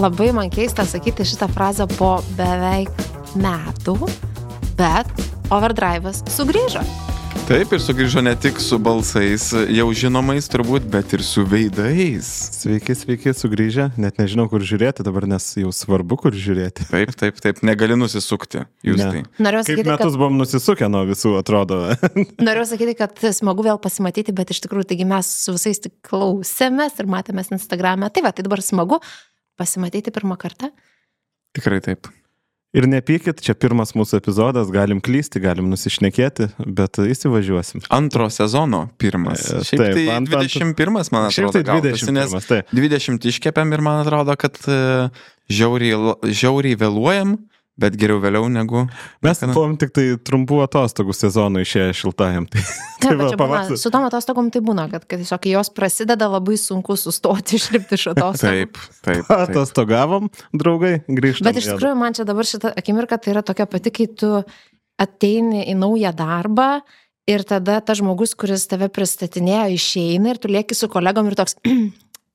labai man keista sakyti šitą frazę po beveik metų, bet Overdrive'as sugrįžo. Taip, ir sugrįžo ne tik su balsais jau žinomais turbūt, bet ir su veidais. Sveiki, sugrįžę. Net nežinau, kur žiūrėti dabar, nes jau svarbu, kur žiūrėti. Taip. Negali nusisukti. Jūs tai. Kaip metus buvom nusisukę nuo visų, atrodo. Norėjau sakyti, kad smagu vėl pasimatyti, bet iš tikrųjų, taigi mes su visais tik klausėmės ir matėmės Instagram'e. Tai dabar smagu pasimatyti pirmą kartą. Tikrai taip. Ir nepykit, čia pirmas mūsų epizodas, galim klysti, galim nusišnekėti, bet įsivažiuosim. Antro sezono pirmas. Šiaip tai 21, man atrodo. Šiaip tai 21, tai 20 iškepėm ir man atrodo, kad žiauriai vėluojam, bet geriau vėliau negu... Mes buvom tik tai trumpų atostogų sezonų išėję šiltajam. Su tom atostogom tai būna, kad tiesiog jos prasideda labai sunku sustoti, išlipti iš atostogų. Taip. Atostogavom, draugai, grįžtam. Bet iš tikrųjų man čia dabar šita akimirka tai yra tokia pati, kai tu ateini į naują darbą ir tada tas žmogus, kuris tave pristatinėjo, išeina ir tu lieki su kolegom ir toks...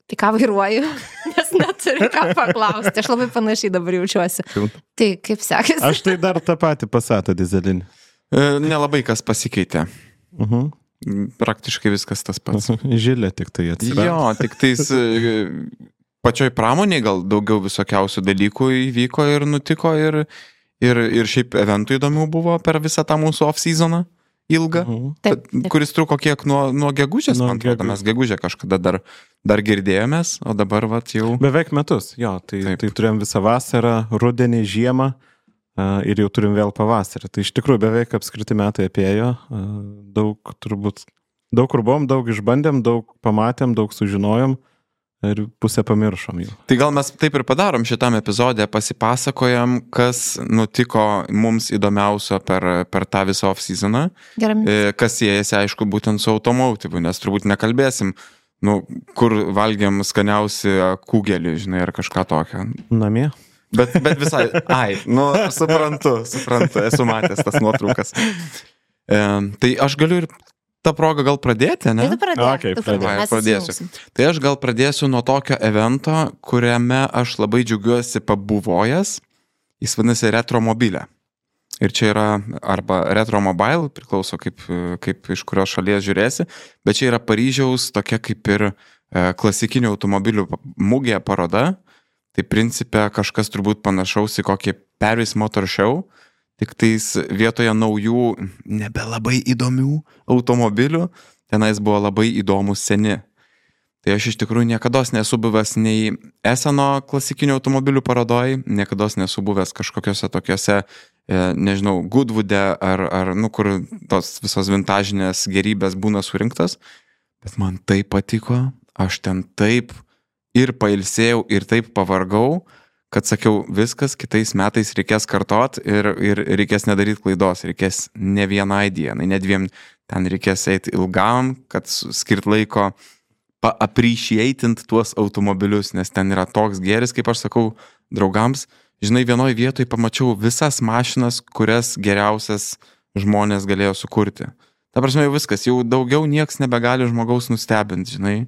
Tai ką vairuoju, nes neturiu ką paklausti. Aš labai panašiai dabar jaučiuosi. Tai kaip sekėsi? Aš tai dar tą patį Passatą dyzelinį. Nelabai kas pasikeitė. Praktiškai viskas tas pats. Žilė tik tai atsirado. Jo, tik tais pačioj pramoniai gal daugiau visokiausių dalykų įvyko ir nutiko ir šiaip eventų įdomių buvo per visą tą mūsų off-seasoną. Ilgą, kuris truko kiek nuo gegužės, man atrodo, mes gegužę kažkada dar girdėjomės, o dabar jau... Beveik metus, jo, tai turėjom visą vasarą, rudenį, žiemą ir jau turim vėl pavasarį. Tai iš tikrųjų beveik apskriti metai apėjo, daug kur buvom, daug išbandėm, daug pamatėm, daug sužinojom. Ir pusę pamiršom jau. Tai gal mes taip ir padarom šitam epizodė, pasipasakojam, kas nutiko mums įdomiausio per tą visą off-seasoną, kas siejasi, aišku, būtent su automotyvu, nes turbūt nekalbėsim, kur valgiam skaniausi kugelį, žinai, ar kažką tokio. Namie. Bet visai, suprantu, esu matęs tas nuotraukas. Tai aš galiu ir tą progą gal pradėti, ne? Tai pradėsiu. Tai aš gal pradėsiu nuo tokio evento, kuriame aš labai džiaugiuosi pabuvojęs. Jis vadinasi Retromobilė. Ir čia yra arba Retromobile, priklauso kaip iš kurios šalies žiūrėsi, bet čia yra Paryžiaus tokia kaip ir klasikinių automobilių mugė paroda. Tai principe kažkas turbūt panašaus į kokį Paris Motor Show. Tik tais vietoje naujų, nebelabai įdomių automobilių, tenais buvo labai įdomus seni. Tai aš iš tikrųjų niekados nesu buvęs nei Esseno klasikinių automobilių parodoj, niekados nesu buvęs kažkokiose tokiose, nežinau, Goodwood'e ar kur tos visos vintažinės gerybės būna surinktas. Bet man taip patiko, aš ten taip ir pailsėjau ir taip pavargau, kad sakiau, viskas, kitais metais reikės kartot ir reikės nedaryti klaidos, reikės ne vienai dienai, ne dviem, ten reikės eiti ilgam, kad skirt laiko appreciatint tuos automobilius, nes ten yra toks gėris, kaip aš sakau draugams, žinai, vienoj vietoj pamačiau visas mašinas, kurias geriausias žmonės galėjo sukurti. Ta prasme, jau viskas, jau daugiau nieks nebegali žmogaus nustebinti, žinai.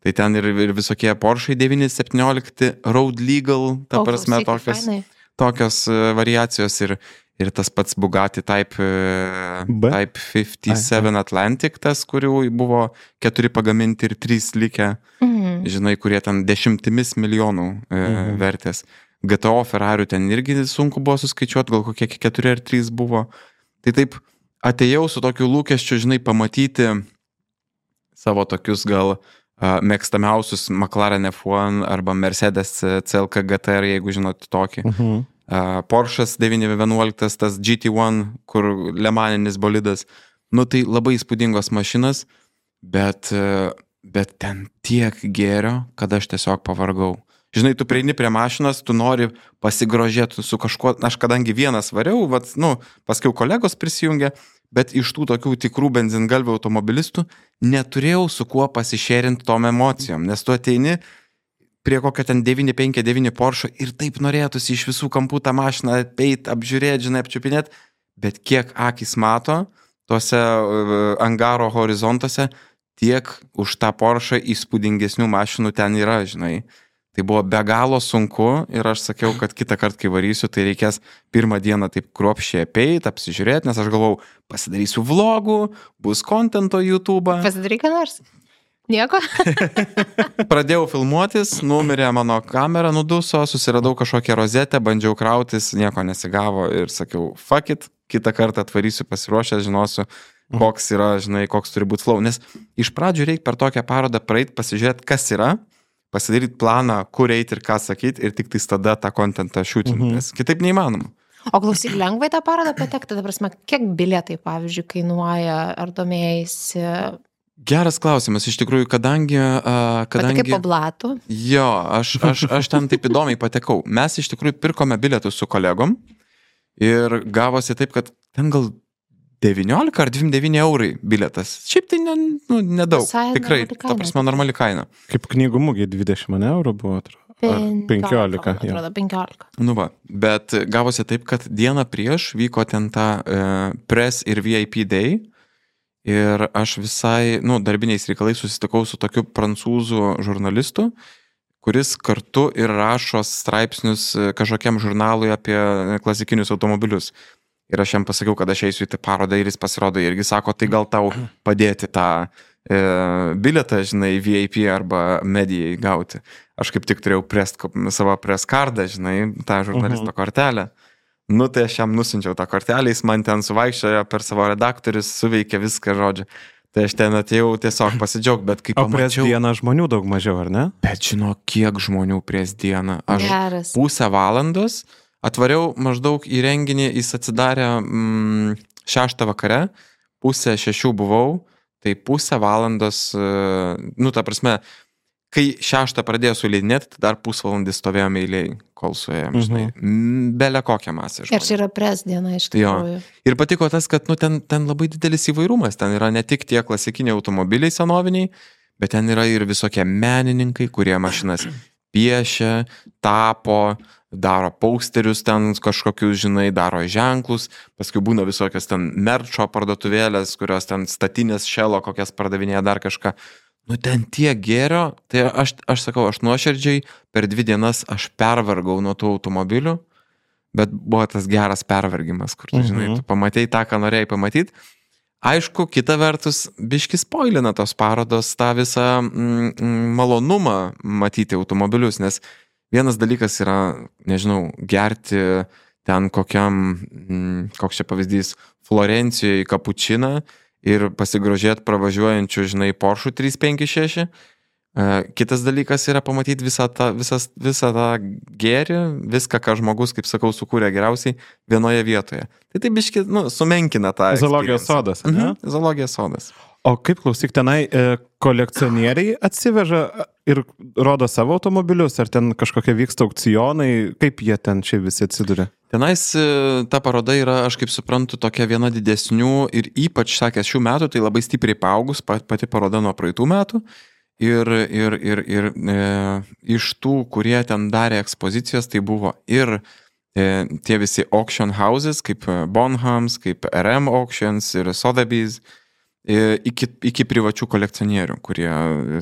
Tai ten ir visokie Porsche 917 Road Legal, ta prasme, tokios variacijos ir tas pats Bugatti Type 57 Atlantic, tas, kurių buvo 4 pagaminti ir 3 likę, žinai, kurie ten 10 milijonų vertės. GTO Ferrarių ten irgi sunku buvo suskaičiuoti, gal kokie 4 ar 3 buvo. Tai taip atėjau su tokiu lūkesčiu, žinai, pamatyti savo tokius gal mėgstamiausius McLaren F1 arba Mercedes CLK GTR, jeigu žinot tokį. Porsche'as 911, tas GT1, kur lemaninis bolidas. Tai labai įspūdingos mašinas, bet ten tiek gėrio, kad aš tiesiog pavargau. Žinai, tu prieini prie mašinos, tu nori pasigrožėti su kažkuo, aš kadangi vienas variau, paskiau kolegos prisijungė, bet iš tų tokių tikrų benzingalvių automobilistų neturėjau su kuo pasišėrinti tom emocijom, nes tu ateini prie kokio ten 959 Porsche ir taip norėtųsi iš visų kampų tą mašiną apeit, apžiūrėti, žinai, apčiupinėti, bet kiek akis mato tuose angaro horizontuose, tiek už tą Porsche įspūdingesnių mašinų ten yra, žinai. Tai buvo be galo sunku ir aš sakiau, kad kitą kartą, kai varysiu, tai reikės pirmą dieną taip kruopščiai apeit, apsižiūrėti, nes aš galvau, pasidarysiu vlogų, bus kontento YouTube. Pasidaryk ką nors. Nieko? Pradėjau filmuotis, numirė mano kamera, nuduso, susiradau kažkokią rozetę, bandžiau krautis, nieko nesigavo ir sakiau, fuck it, kitą kartą atvarysiu pasiruošęs, žinosiu, koks yra, žinai, koks turi būti flow. Nes iš pradžių reikia per tokią parodą praeit, pasižiūrėti, kas yra, pasidaryti planą, kur eiti ir ką sakyti ir tik tada tą kontentą šūtinti, nes kitaip neįmanoma. O klausyk, lengvai tą parodą patekti, ta prasme, kiek bilietai, pavyzdžiui, kainuoja, ar domėjai? Geras klausimas, iš tikrųjų, kadangi... Patekai po blatų? Jo, aš ten taip įdomiai patekau. Mes iš tikrųjų pirkome bilietus su kolegom ir gavosi taip, kad ten gal 19 ar 29 eurai bilietas. Šiaip tai nedaug. Tikrai, ta prasme, normali kaina. Kaip knygų mugė 20 eurų buvo, atrodo. 15. Atrodo, 15. Nu va, bet gavosi taip, kad dieną prieš vyko ten ta press ir VIP day. Ir aš visai, darbiniais reikalais susitikau su tokiu prancūzų žurnalistu, kuris kartu ir rašo straipsnius kažkokiam žurnalui apie klasikinius automobilius. Ir aš jam pasakiau, kad aš eisiu į tą parodą ir jis pasirodo irgi sako, tai gal tau padėti tą bilietą, žinai, VIP arba medijai gauti. Aš kaip tik turėjau savo press kardą, žinai, tą žurnalisto kortelę. Tai aš jam nusinčiau tą kortelę, jis man ten suvaikščiojo per savo redaktorius, suveikė viską, žodžiu. Tai aš ten atėjau tiesiog pasidžiaugti, bet kaip pamačiau... O prieš dieną žmonių daug mažiau, ar ne? Bet žino, kiek žmonių prieš dieną. Aš pusę valandos atvariau maždaug į renginį, jis atsidarė 6 vakare, pusę 6 buvau, tai pusę valandos, ta prasme, kai 6 pradėjo suleidinėti, tai dar pusvalandį stovėjome eilėj, kol suėjom, žinai, belė kokią masę žmonių. Ir čia yra pres diena iš tikrųjų. Ir patiko tas, kad ten labai didelis įvairumas, ten yra ne tik tie klasikiniai automobiliai senoviniai, bet ten yra ir visokie menininkai, kurie mašinas piešia, tapo, daro posterius ten kažkokius, žinai, daro ženklus, paskui būna visokios ten merčo parduotuvėlės, kurios ten statinės šelo, kokias pardavinėja dar kažką. Ten tiek gėrio, tai aš sakau, aš nuoširdžiai per 2 dienas aš pervargau nuo tų automobilių, bet buvo tas geras pervargimas, kur tu, žinai, tu pamatėjai tą, ką norėjai pamatyti. Aišku, kita vertus, biški spoilina tos parodos tą visą malonumą matyti automobilius, nes vienas dalykas yra, nežinau, gerti ten koks čia pavyzdys, Florencijoje kapučiną, ir pasigrožėti pravažiuojančių, žinai, Porsche 356. Kitas dalykas yra pamatyti visą tą gėrį, viską, ką žmogus, kaip sakau, sukūrė geriausiai vienoje vietoje. Tai biški, sumenkina tą. Zoologijos sodas, ne? Zoologijos sodas. O kaip klausyk, tenai kolekcionieriai atsiveža ir rodo savo automobilius, ar ten kažkokie vyksta aukcionai, kaip jie ten čia visi atsiduria? Tenais ta paroda yra, aš kaip suprantu, tokia viena didesnių ir ypač, sakęs, šių metų, tai labai stipriai paaugus, pati paroda nuo praeitų metų. Ir iš tų, kurie ten darė ekspozicijas, tai buvo ir tie visi auction houses, kaip Bonhams, kaip RM Auctions ir Sotheby's, iki privačių kolekcionierių, kurie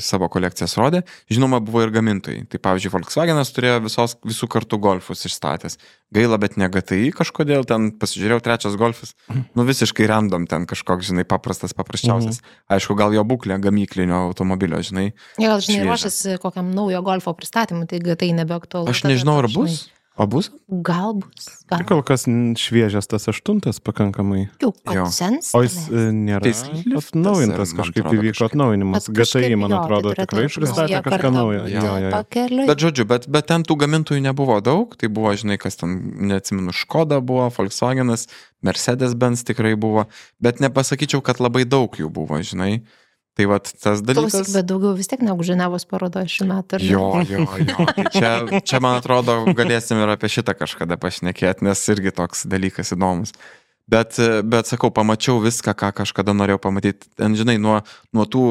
savo kolekcijas rodė. Žinoma, buvo ir gamintojai. Tai pavyzdžiui, Volkswagenas turėjo visų kartų golfus išstatęs. Gaila, bet ne GTI kažkodėl, ten pasižiūrėjau 3 golfas, visiškai random ten kažkoks, žinai, paprasčiausias. Aišku, gal jo būklė gamyklinio automobilio, žinai. Gal, žinai, ruošiasi kokiam naujo golfo pristatymui, tai GTI nebeaktualu. Aš nežinau, ar bus. O bus? Gal bus. Kol kas šviežias tas 8 pakankamai. Jau sens. O jis nėra atnaujintas, kažkaip įvyko atnaujinimas. GTI, man atrodo, tikrai pristatė kažką naujo. Bet žodžiu, bet ten tų gamintojų nebuvo daug, tai buvo, žinai, kas ten, neatsimenu, Škoda buvo, Volkswagenas, Mercedes-Benz tikrai buvo, bet nepasakyčiau, kad labai daug jų buvo, žinai. Tai vat tas dalykas... Klausyk, bet daugiau vis tiek negu Ženevos parodo šių metų. Jo. Tai čia, man atrodo, galėsim ir apie šitą kažkada pašnekėti, nes irgi toks dalykas įdomus. Bet sakau, pamačiau viską, ką kažkada norėjau pamatyti. Ten, žinai, nuo tų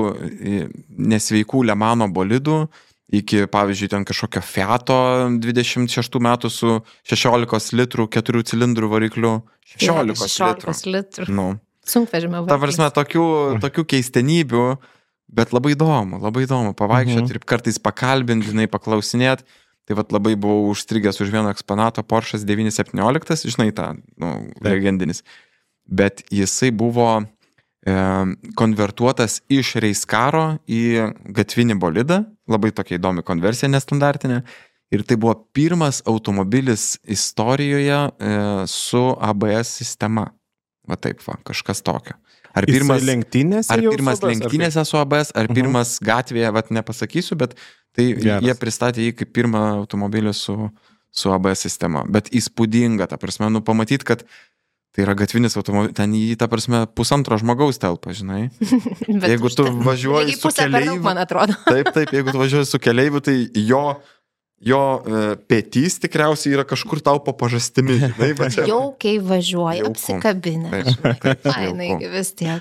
nesveikų Le Mano bolidų iki, pavyzdžiui, ten kažkokio Fiato 26 metų su 16 litrų 4 cilindrų varikliu. 16 litrų. Sunkvežimio variklis. Ta prasme, tokių keistenybių Bet labai įdomu pavaikščioti ir kartais pakalbinti, žinai, paklausinėti. Tai vat labai buvau užstrigęs už vieno eksponato Porsche 917, žinai, tą, legendinis. Bet jisai buvo konvertuotas iš Reiskaro į gatvinį bolidą, labai tokia įdomi konversija, nestandartinė. Ir tai buvo pirmas automobilis istorijoje su ABS sistema. Va taip, kažkas tokio. Ar pirmas lenktynėse su ABS, ar pirmas gatvėje, vat nepasakysiu, bet tai jie pristatė jį kaip pirmą automobilį su ABS sistema. Bet įspūdinga, ta prasme, pamatyti, kad tai yra gatvinis automobilis, ten jį, ta prasme, 1,5 žmogaus telpa, žinai. Jeigu tu važiuoji su keleiviu, man atrodo. Taip, jeigu tu važiuoji su keleiviu, tai jo petys tikriausiai yra kažkur tau po pažastimi. Jaukiai važiuoja, apsikabinę. Ainai vis tiek.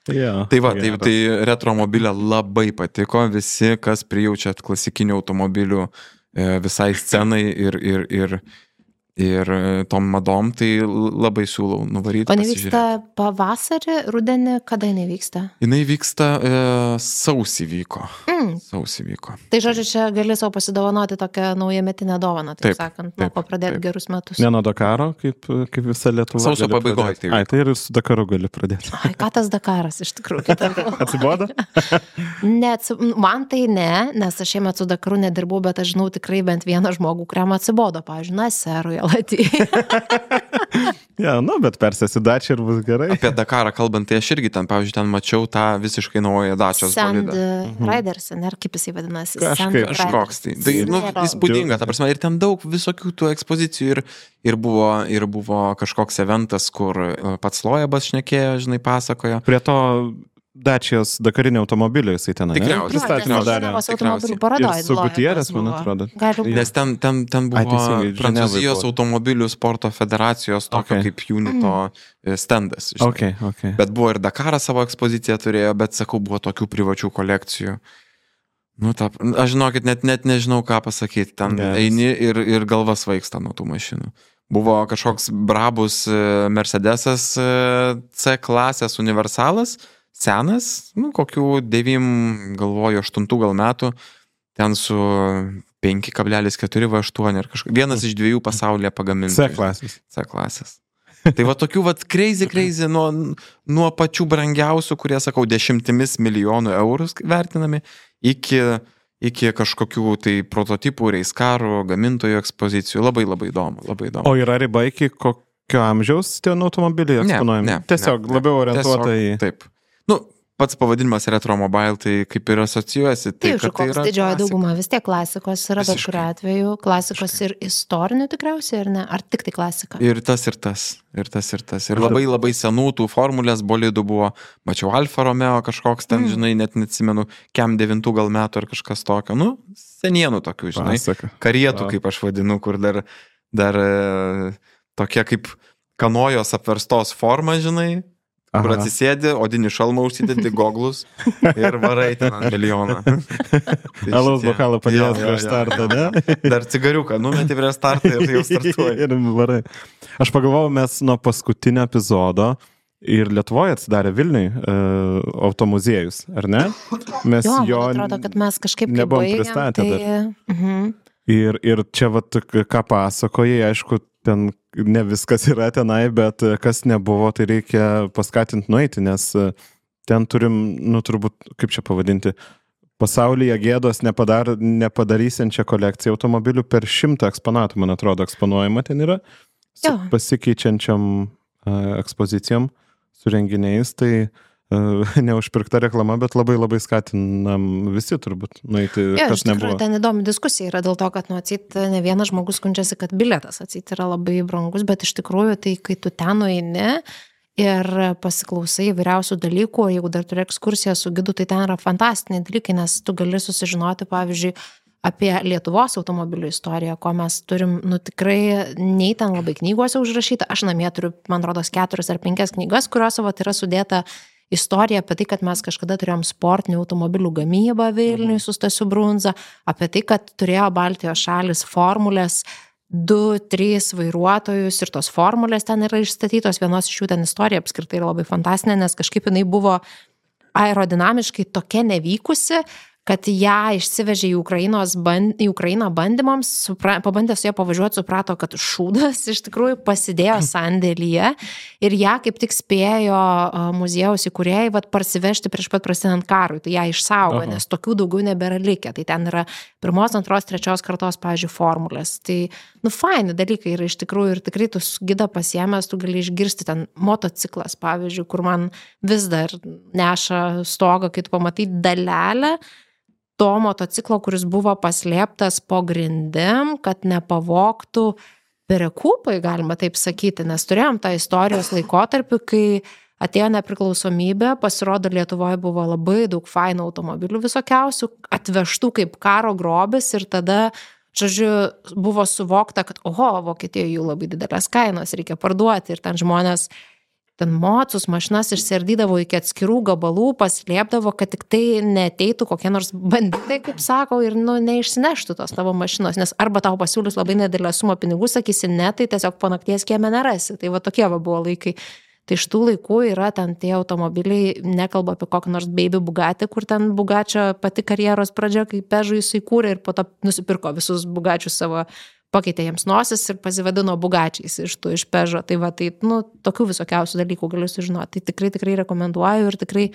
Tai retromobilė labai patiko, visi, kas prijaučiat klasikinių automobilių visai scenai ir tom madom, tai labai siūlau nuvaryti. O nevyksta pavasarį, rudenį, kada nevyksta? Jinai vyksta sausį vyko. Tai žodžiu, čia gali savo pasidovanoti tokią naujametinę dovaną, taip sakant, nuo ko pradėti gerus metus. Ne nuo Dakaro, kaip visa Lietuva. Sausio pabaigoje. Tai ir su Dakaru gali pradėti. Ką tas Dakaras iš tikrųjų? Atsibodo? Man tai ne, nes aš šiemet su Dakaru nedirbau, bet aš žinau tikrai bent vieną žmogų, kuriam atsibodo, pavyzdžiui, Naserui, Latijai. Bet persėsi Dačią ir bus gerai. Apie Dakarą kalbant, tai aš irgi ten, pavyzdžiui, ten mačiau tą visiškai naują Dačios bolidą. Sand Riders, ar kaip jisai vadinasi? Kažkoks tai. Tai įspūdinga, ta prasme, ir ten daug visokių tų ekspozicijų ir buvo kažkoks eventas, kur pats Loebas šnekėjo, žinai, pasakojo. Prie to Dačios dakarinio automobilio jisai ten pristatymą darė. Ir su Gutierrez, man atrodo. Nes ten buvo Prancūzijos automobilių sporto federacijos tokio kaip Unito standas. Bet buvo ir Dakaras savo ekspoziciją turėjo, bet sakau, buvo tokių privačių kolekcijų. Aš žinokit, net nežinau, ką pasakyti. Ten eini ir galva svaigsta nuo tų mašinų. Buvo kažkoks brabus Mercedesas C klasės universalas, senas, kokių 9, galvoju, 8 gal metų, ten su 5,4 V8 ir kažkas. Vienas iš 2 pasaulyje pagamintų. C klasės. Tai va tokių crazy nuo pačių brangiausių, kurie, sakau, 10 milijonų eurų vertinami, iki kažkokių tai prototipų, Reiskarų, gamintojų ekspozicijų. Labai įdomu. O yra riba iki kokio amžiaus tie automobiliai eksponuojami? Tiesiog labiau orientuota į... Taip. Pats pavadinimas Retromobile, tai kaip ir asocijuojasi. Taip, koks didžioji dauguma, vis tiek klasikos yra, bet kuriuo atveju klasikos ir istorinių tikriausiai, ar ne? Ar tik tai klasika? Ir tas. Ir labai senų tų formulės bolidų buvo, mačiau Alfa Romeo kažkoks ten, žinai, net neatsimenu, Kem 9 gal metų ar kažkas tokio. Senienų tokių, žinai, karietų, kaip aš vadinu, kur dar tokia kaip kanojos apverstos forma, žinai, kur atsisėdi, odinį šalmą užsidedi, goglus ir varai ten ant milijoną. Alaus bokalą padėjęs prieš startą, ne? Dar cigariuką numeti prieš startą ir jau startuoji. Ir varai. Aš pagalvojau, mes nuo paskutinio epizodo ir Lietuvoje atsidarė Vilniui automuziejus, ar ne? Mes atrodo, kad mes kažkaip nebuvom pristatę dar. Ir čia ką pasakojai, aišku, ten ne viskas yra tenai, bet kas nebuvo, tai reikia paskatinti nueiti, nes ten turim, turbūt, kaip čia pavadinti, pasaulyje gėdos nepadarysiančią kolekciją automobilių per 100 eksponatų, man atrodo, eksponuojama ten yra, su pasikeičiančiam ekspozicijom, su renginiais, tai neužpirkta reklama, bet labai skatinam visi turbūt nueiti, kas nebuvo. Ten įdomi diskusija yra dėl to, kad atseit ne vienas žmogus skundžiasi, kad bilietas atseit yra labai brangus, bet iš tikrųjų tai, kai tu ten nueini ir pasiklausai įvairiausių dalykų, jeigu dar turi ekskursiją su gidu, tai ten yra fantastiniai dalykai, nes tu gali susižinoti, pavyzdžiui, apie Lietuvos automobilių istoriją, ko mes turim, tikrai nei ten labai knygose užrašyta, aš namie turiu, man rodos, 4 ar 5 knygas, kuriuose yra sudėta istorija apie tai, kad mes kažkada turėjom sportinių automobilių gamybą Vilniui su Stasiu Brunza, apie tai, kad turėjo Baltijos šalis formulės 2-3 vairuotojus ir tos formulės ten yra išstatytos, vienos iš jų ten istorija apskritai yra labai fantastinė, nes kažkaip jinai buvo aerodinamiškai tokia nevykusi, kad ją išsivežė į Ukrainą bandymams, pabandė su ją pavažiuoti, suprato, kad šūdas iš tikrųjų pasidėjo sandėlyje ir ją kaip tik spėjo muziejaus įkūrėjai parsivežti prieš pat prasidedant karui, tai ją išsaugo, nes tokių daugiau nebėra likę, tai ten yra 1, 2, 3 kartos, pavyzdžiui, formulės, tai, faini dalykai yra iš tikrųjų ir tikrai tu gidą pasiėmęs, tu gali išgirsti ten motociklas, pavyzdžiui, kur man vis dar neša stogą, kai tu pamatai dalelę to motociklo, kuris buvo paslėptas po grindim, kad nepavogtų perekupai, galima taip sakyti, nes turėjom tą istorijos laikotarpį, kai atėjo nepriklausomybė, pasirodo Lietuvoje buvo labai daug fainų automobilių visokiausių, atvežtų kaip karo grobis ir tada, žodžiu, buvo suvokta, kad Vokietijoje jų labai didelės kainos reikia parduoti ir ten žmonės ten mocus mašinas išsiardydavo iki atskirų gabalų, paslėpdavo, kad tik tai neateitų kokie nors banditai, kaip sako, ir neišsineštų tos tavo mašinos, nes arba tau pasiūlys labai nedidelę sumą pinigų, sakysi ne, tai tiesiog po nakties kieme nerasi. Tai tokie buvo laikai. Tai iš tų laikų yra ten tie automobiliai, nekalba apie kokį nors baby Bugatti, kur ten Bugačio pati karjeros pradžia, kai Peugeot jis įkūrė ir po to nusipirko visus Bugačius savo, pakeitė jiems nosis ir pasivadino Bugačiais iš Peugeot. Tai tokių visokiausių dalykų galiu sužinoti. Tai tikrai rekomenduoju ir tikrai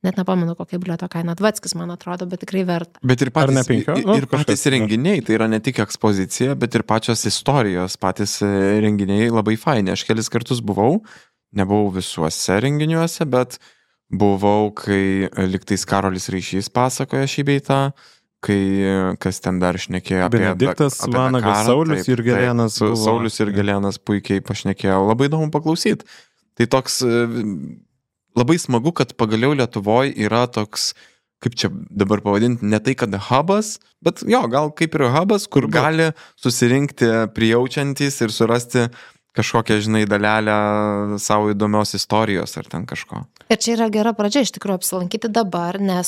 net nepamenu, kokia bilieto kaina. Dvatskis, man atrodo, bet tikrai verta. Bet ir patys renginiai, tai yra ne tik ekspozicija, bet ir pačios istorijos, patys renginiai labai faini. Aš kelis kartus buvau, nebuvau visuose renginiuose, bet buvau, kai liktais Karolis Ryšys pasakoja šį beitą, kai kas ten dar šnekėjo apie Benediktas Vanagas, Saulius Jurgelėnas. Saulius Jurgelėnas puikiai pašnekėjo, labai įdomu paklausyti. Tai toks labai smagu, kad pagaliau Lietuvoje yra toks, kaip čia dabar pavadinti, ne tai kad hubas, bet gal kaip ir hubas, kur gali susirinkti prijaučiantys ir surasti kažkokią, dalelę savo įdomios istorijos ar ten kažko. Ir čia yra gera pradžia iš tikrųjų apsilankyti dabar, nes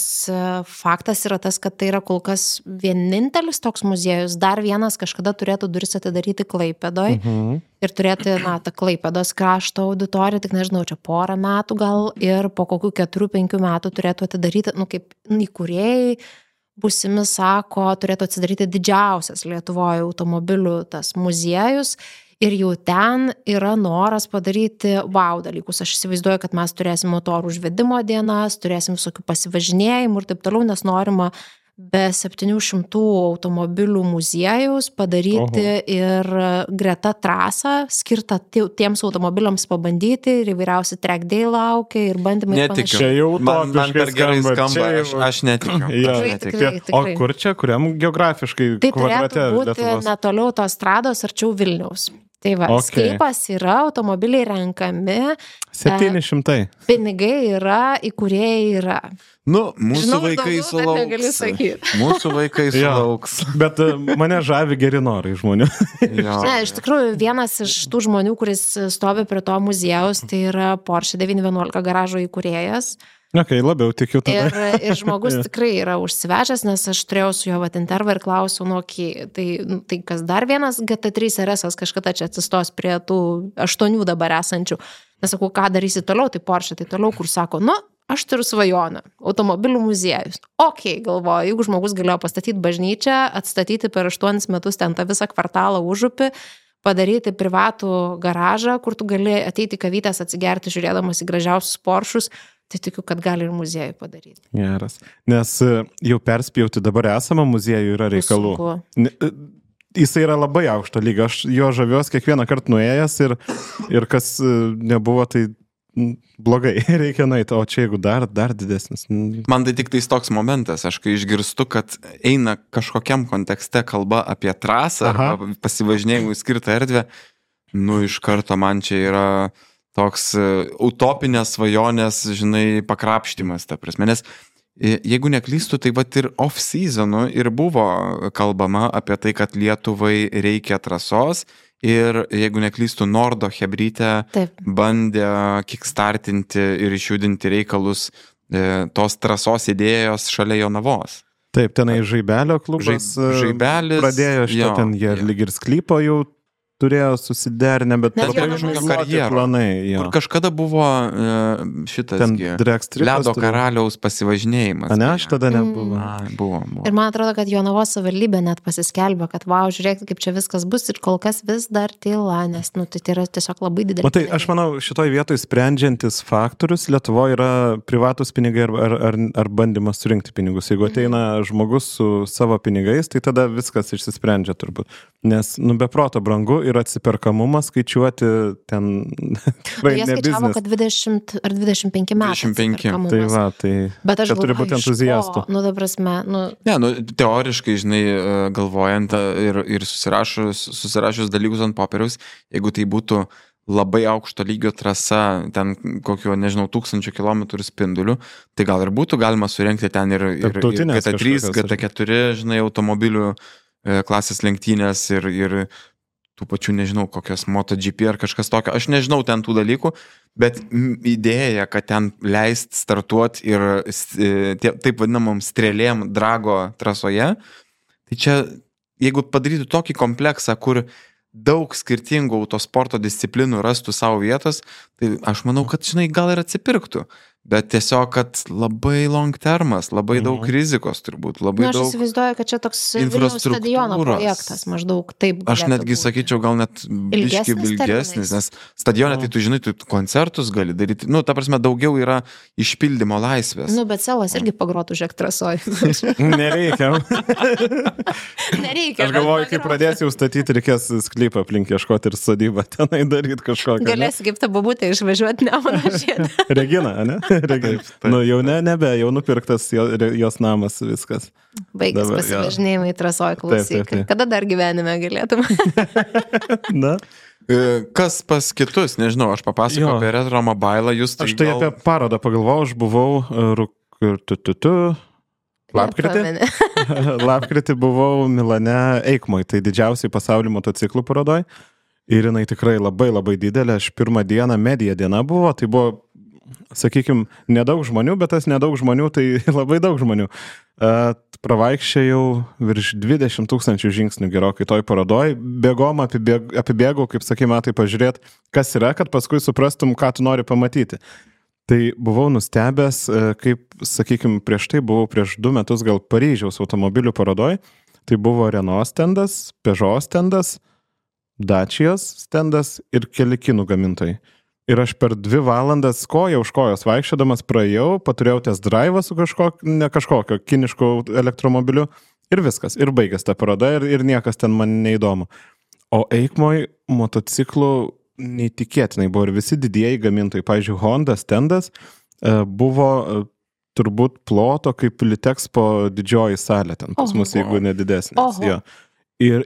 faktas yra tas, kad tai yra kol kas vienintelis toks muziejus. Dar vienas kažkada turėtų duris atidaryti Klaipėdoj ir turėti, tą Klaipėdos krašto auditoriją, tik nežinau, čia 1 metų gal ir po kokių 4-5 metų turėtų atidaryti, kaip įkūrėjai būsimi sako, turėtų atsidaryti didžiausias Lietuvoje automobilių tas muziejus. Ir jau ten yra noras padaryti dalykus. Aš įsivaizduoju, kad mes turėsim motorų užvedimo dienas, turėsim visokių pasivažinėjimų ir taip toliau, nes norima be 700 automobilių muziejaus padaryti ir greta trasą, skirtą tiems automobiliams pabandyti ir įvairiausi track day laukia ir bandymai. Netikiu. Man per gerai skamba, aš netikiu. O kur čia, kuriam geografiškai kvadrate Lietuvos? Tai turėtų būti netoliau tos strados arčiau Vilniaus. Tai sklypas yra, automobiliai renkami. 700. Pinigai yra, įkūrėjai yra. Mūsų vaikai sulauks. Mūsų vaikai sulauks. Bet mane žavi geri norai žmonių. Ne, iš tikrųjų, vienas iš tų žmonių, kuris stovi prie to muziejaus, tai yra Porsche 911 garažo įkūrėjas. Labiau tikiu tada. Ir žmogus tikrai yra užsivežęs, nes aš turėjau su juo intervą ir klausiau, tai kas dar vienas GT3 RS kažkada čia atsistos prie tų 8 dabar esančių. Nesakau, ką darysi toliau, tai Porsche, tai toliau, kur sako, aš turiu svajonę, automobilių muziejus. Galvoju, jeigu žmogus galėjo pastatyti bažnyčią, atstatyti per 8 metus ten tą visą kvartalą užupį, padaryti privatų garažą, kur tu gali ateiti kavytės atsigerti, žiūrėdamas į gražiausius Porschus, tai tikiu, kad gali ir muziejų padaryti. Geras. Nes jau perspjauti dabar esamą muziejų yra reikalų. Jisai yra labai aukšto lygio. Aš jo žaviuos kiekvieną kartą nuėjęs ir kas nebuvo, tai blogai, reikia nueiti, o čia jeigu dar didesnis. Man tai tik tais toks momentas, aš kai išgirstu, kad eina kažkokiam kontekste kalba apie trasą arba pasivažinėjimui skirtą erdvę, iš karto man čia yra toks utopinės svajonės, pakrapštimas, ta prasme, nes jeigu neklystu, tai ir off-seasonu ir buvo kalbama apie tai, kad Lietuvai reikia trasos ir jeigu neklystu, Nordo Chebrytė bandė kickstartinti ir išjudinti reikalus tos trasos idėjos šalia Jonavos. Taip, tenai Žaibelio klubas Žaibelis pradėjo šitą ten, jie lyg ir sklypo jau turėjo susiderinę, bet planai. Kur kažkada buvo šitas ledo karaliaus pasivažinėjimas. Ne, aš tada nebuvo. Buvo. Ir man atrodo, kad Jonavos savivaldybė net pasiskelbė, kad vau, žiūrėk, kaip čia viskas bus ir kol kas vis dar tyla, nes tai yra tiesiog labai didelis. O tai aš manau, šitoj vietoj sprendžiantis faktorius Lietuvoje yra privatus pinigai ar bandymas surinkti pinigus. Jeigu ateina žmogus su savo pinigais, tai tada viskas išsisprendžia turbūt. Nes, beproto brangu ir atsiperkamumas skaičiuoti ten tikrai ne biznis. Jie skaičiavo, kad 20 ar 25 metų. 25. Tai va, tai bet aš turi būti entuziastų. Ta prasme, teoriškai, žinai, galvojant ir susirašus dalykus ant popieriaus, jeigu tai būtų labai aukšto lygio trasa, ten kokio, nežinau, 1000 kilometrų spindulių, tai gal ir būtų galima surengti ten ir GT3, GT4, žinai, automobilių klasės lenktynės ir tų pačių, nežinau, kokios MotoGP ar kažkas tokio. Aš nežinau ten tų dalykų, bet idėja, kad ten leist startuoti ir taip vadinamom strėlėm drago trasoje, tai čia, jeigu padarytų tokį kompleksą, kur daug skirtingų autosporto disciplinų rastų savo vietos, tai aš manau, kad, žinai, gal ir atsipirktų. Bet tiesiog, kad labai long termas, labai daug rizikos turbūt, labai daug aš įsivaizduoju, kad čia toks Vilniaus stadiono projektas maždaug taip. Aš netgi sakyčiau, gal net biški ilgesnis, nes stadione, tai tu žinai, tu koncertus gali daryti, ta prasme, daugiau yra išpildymo laisvės. Bet Selas irgi pagrotų žiek trasoj. Nereikia. Nereikia. Aš galvoju, kai pradėsi jau statyti, reikės sklypą aplink ieškoti ir sodybą tenai daryti kažkokią. Galėsi kaip ta babutė išvažiuoti Nemuno žiedą. Regina, ne? Jau nebe, jau nupirktas jos namas, viskas. Baigęs pasivažinėjimai trasoj, klausyk. Taip. Kada dar gyvenime galėtum? Na. Kas pas kitus, nežinau, aš papasakau apie Retro Mobile, jūs tai aš tai apie parodą pagalvojau, aš buvau lapkritį buvau Milane Eikmoj, tai didžiausiai pasaulio motociklų parodoj. Ir jinai tikrai labai labai didelė, aš pirmą dieną, medija diena buvo, tai buvo, sakykime, nedaug žmonių, bet tas nedaug žmonių, tai labai daug žmonių. Pravaikščiau virš 20 000 žingsnių gerokai toj parodoj, bėgom, apibėgau, kaip sakė, metai pažiūrėti, kas yra, kad paskui suprastum, ką tu nori pamatyti. Tai buvau nustebęs, kaip, sakykime, prieš 2 metus gal Paryžiaus automobilių parodoj, tai buvo Renault stendas, Peugeot stendas, Dacijos stendas ir keli kinų gamintojai. Ir aš per 2 valandas koja už kojos vaikščiodamas praėjau, paturėjau test drive su kažkokio kiniško elektromobiliu ir viskas. Ir baigęs tą parodą ir niekas ten man neįdomu. O Eikmoj motociklų neįtikėtinai buvo ir visi didieji gamintojai. Pavyzdžiui, Honda stendas buvo turbūt ploto kaip Litexpo didžioji salė ten pas mus, jeigu nedidesnės. Ja. Ir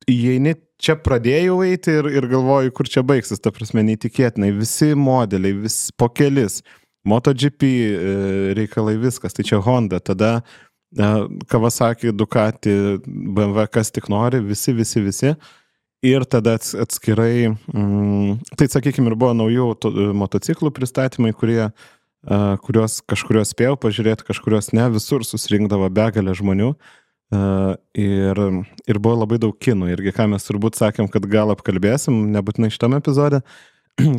įeini, čia pradėjau eiti ir galvoju, kur čia baigsis, ta prasme, neįtikėtinai, visi modeliai, po kelis, MotoGP reikalai, viskas, tai čia Honda, tada Kawasaki, Ducati, BMW, kas tik nori, visi, ir tada atskirai, tai sakykime, ir buvo naujų motociklų pristatymai, kuriuos kažkurios spėjau pažiūrėti, kažkurios ne, visur susirinkdavo begalę žmonių. Ir buvo labai daug kinų. Irgi, ką mes turbūt sakėm, kad gal apkalbėsim, nebūtinai šitame epizode,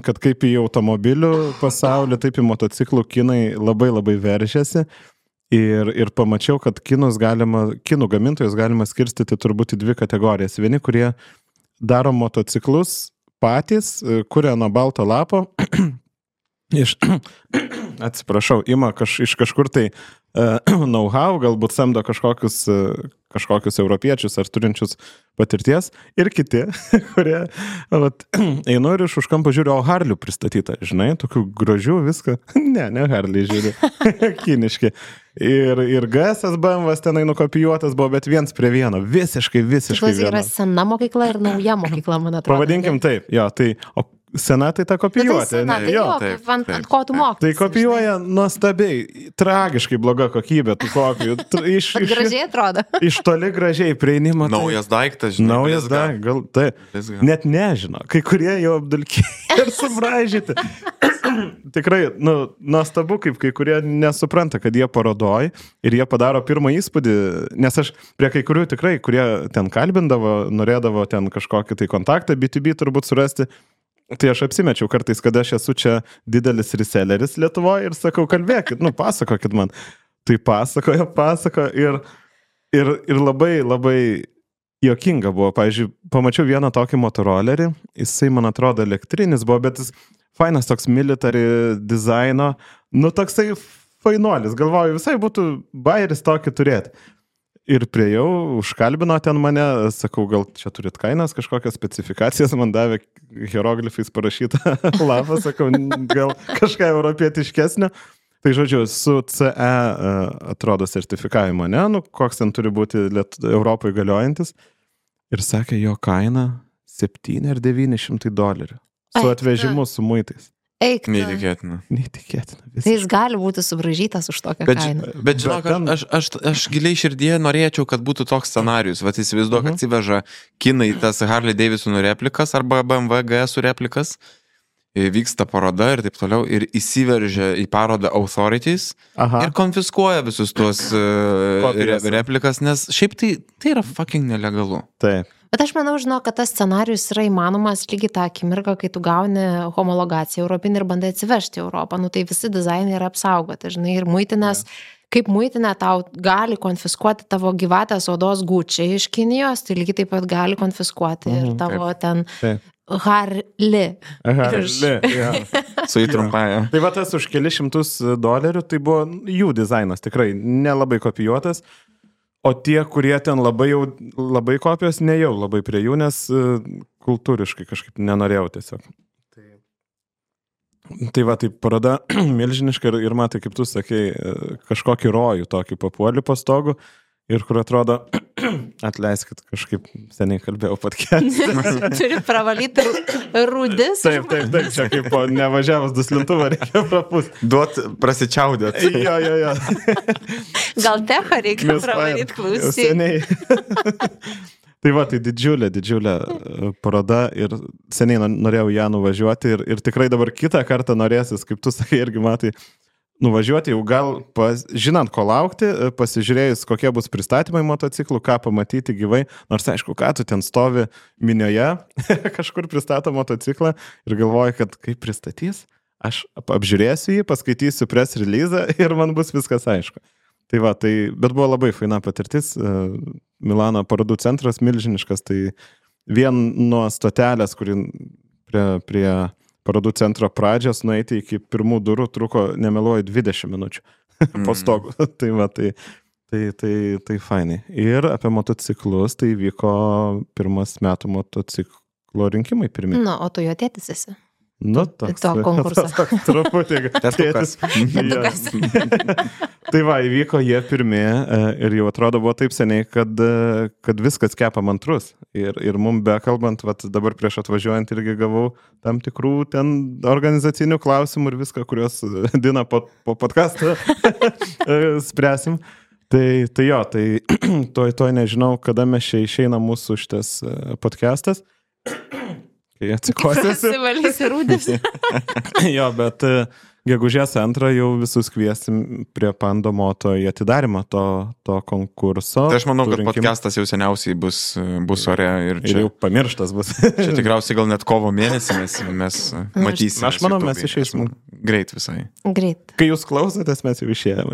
kad kaip į automobilių pasaulį, taip į motociklų kinai labai labai veržėsi. Ir pamačiau, kad kinų gamintojus galima skirstyti turbūt į 2 kategorijas. Vieni, kurie daro motociklus patys, kuria nuo balto lapo, ima iš kažkur tai know-how, galbūt samdo kažkokius europiečius ar turinčius patirties, ir kiti, kurie einu ir už kampą žiūriu, o Harlių pristatyta, žinai, tokių gražių viską, ne Harliai žiūriu, kiniški. Ir GS BMW tenai nukopijuotas buvo, bet 1:1, visiškai tai viena. Yra sena mokykla ir nauja mokykla, man atrodo. Pavadinkim taip, jo, tai sena tai ta kopijuotė. Ant ko tu mokai? Tai kopijuoja nuostabiai, tragiškai bloga kokybė tų kopijų. Gražiai atrodo. Iš toli gražiai prieinimo. Naujas daiktas, žinai. Naujas daiktas, gal tai. Net nežino. Kai kurie jau apdulkiai ir subraižyti. tikrai, nuostabu, kaip kai kurie nesupranta, kad jie parodoj ir jie padaro pirmą įspūdį, nes aš prie kai kurių tikrai, kurie ten kalbindavo, norėdavo ten kažkokį tai kontaktą B2B turbūt surasti, tai aš apsimečiau kartais, kad aš esu čia didelis reselleris Lietuvoje ir sakau, kalbėkit, pasakokit man. Tai pasakojo ir labai, labai juokinga buvo. Pavyzdžiui, pamačiau vieną tokį motorolerį, jisai, man atrodo, elektrinis buvo, bet jis fainas toks military dizaino, toksai fainuolis, galvoju, visai būtų bairis tokį turėti. Ir priejau, užkalbino ten mane, sakau, gal čia turit kainas, kažkokias specifikacijas, man davė hieroglifais parašytą lapą, sakau, gal kažką europietiškesnio. Tai žodžiu, su CE atrodo sertifikavimo, ne? Koks ten turi būti Europoje galiojantis. Ir sakė, jo kaina $700 ar $900. Su atvežimu, su muitais. Eik. Neįtikėtina. Tai jis gali būti subražytas už tokią kainą. Bet žinok, aš giliai širdėje norėčiau, kad būtų toks scenarius. Vat įsivaizduok, atsiveža kinai tas Harley Davidson replikas arba BMW GS replikas. Vyksta paroda ir taip toliau ir įsiveržia į parodą authorities ir konfiskuoja visus tuos replikas, nes šiaip tai yra fucking nelegalu. Taip. Bet aš manau, kad tas scenarius yra įmanomas lygiai tą akimirką, kai tu gauni homologaciją europinį ir bandai atsivežti į Europą. Tai visi dizainai yra apsaugoti, žinai, ir muitinės, kaip muitinė tau gali konfiskuoti tavo gyvatės odos gučiai iš Kinijos, tai lygiai taip pat gali konfiskuoti ir tavo ten... Harley. Ja. Su įtrumpaja. Tai va tas už kelius $100, tai buvo jų dizainas, tikrai nelabai kopijuotas, o tie, kurie ten labai kopijos, nejau labai prie jų, nes kultūriškai kažkaip nenorėjau tiesiog. Tai va, tai paroda milžiniška ir matai, kaip tu sakei, kažkokį rojų tokį papuolį po stogu ir kur atrodo, atleiskit, kažkaip seniai kalbėjau podcast'e. Turi pravalyti rūdis. Taip, čia kaip po nevažiavus duslintuvą reikia prapūsti. Duot prasičiaudėt. Jo. Gal techą reikia pravalyti, klausyk. Seniai. Tai va, tai didžiulė paroda ir seniai norėjau ją nuvažiuoti ir tikrai dabar kitą kartą norėsis, kaip tu sakai, irgi matai, nuvažiuoti jau gal, žinant, ko laukti, pasižiūrėjus, kokie bus pristatymai motociklų, ką pamatyti gyvai, nors aišku, ką tu ten stovi minioje, kažkur pristato motociklą ir galvoji, kad kaip pristatys, aš apžiūrėsiu jį, paskaitysiu press release ir man bus viskas aišku. Tai va, bet buvo labai faina patirtis, Milano parodų centras milžiniškas, tai vien nuo stotelės, kuri prie parodų centro pradžios nueiti iki pirmų durų truko, nemeluoju, 20 minučių po stogu. Tai va, tai fainai. Ir apie motociklus, tai vyko pirmas metų motociklo rinkimai pirmi. O tu jo tėtis esi? Toks konkursą. Truputį. Testukas. Tai va, įvyko jie pirmi ir jau atrodo buvo taip seniai, kad viskas kepa mantrus. Ir mum bekalbant, dabar prieš atvažiuojant irgi gavau tam tikrų ten organizacinių klausimų ir viską, kuriuos Dina po podcast'ą spręsim. Tai jo, toj nežinau, kada mes čia išeina mūsų šitas podcast'as. Kai atsikosėsi. Pasivalysi rūdis. Jo, bet gegužės 2 jau visus kviesim prie Pando Moto į atidarimą to konkurso. Tai aš manau, kad podcastas jau seniausiai bus ore ir čia... Ir jau pamirštas bus. Čia tikriausiai gal net kovo mėnesį mes matysime. Aš manau, mes išeisim. Greit visai. Greit. Kai jūs klausotės, mes jau išėjom.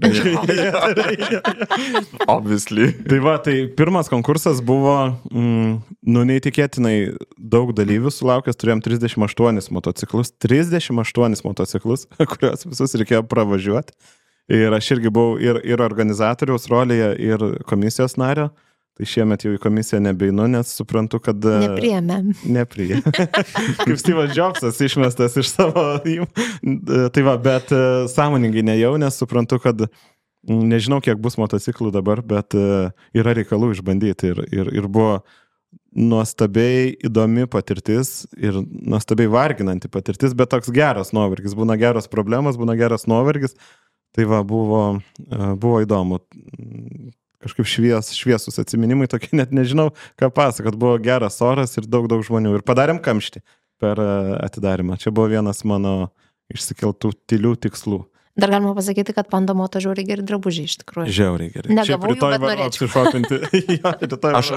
Obviously. Tai va, tai pirmas konkursas buvo, neįtikėtinai daug dalyvių sulaukęs, turėjom 38 motociklus, kuriuos visus reikėjo pravažiuoti. Ir aš irgi buvau ir organizatoriaus rolėje, ir komisijos nario. Tai šiemet jau į komisiją nebeinu, nes suprantu, kad... Nepriėmėm. Kaip Steve'as Jobsas išmestas iš savo... Tai va, bet sąmoningai nejau, nes suprantu, kad nežinau, kiek bus motociklų dabar, bet yra reikalų išbandyti. Ir buvo nuostabiai įdomi patirtis ir nuostabiai varginanti patirtis, bet toks geras nuovargis. Būna geros problemos, būna geras nuovargis. Tai va, buvo įdomu. Kažkaip šviesus atsiminimai, tokie net nežinau, ką pasakot. Buvo geras oras ir daug žmonių. Ir padarėm kamštį per atidarimą. Čia buvo vienas mano išsikeltų tylių tikslų. Dar galima pasakyti, kad Panda Moto žiauriai geri drabužiai iš tikrųjų. Žiauriai gerai. Negavau jų, bet norėčiau.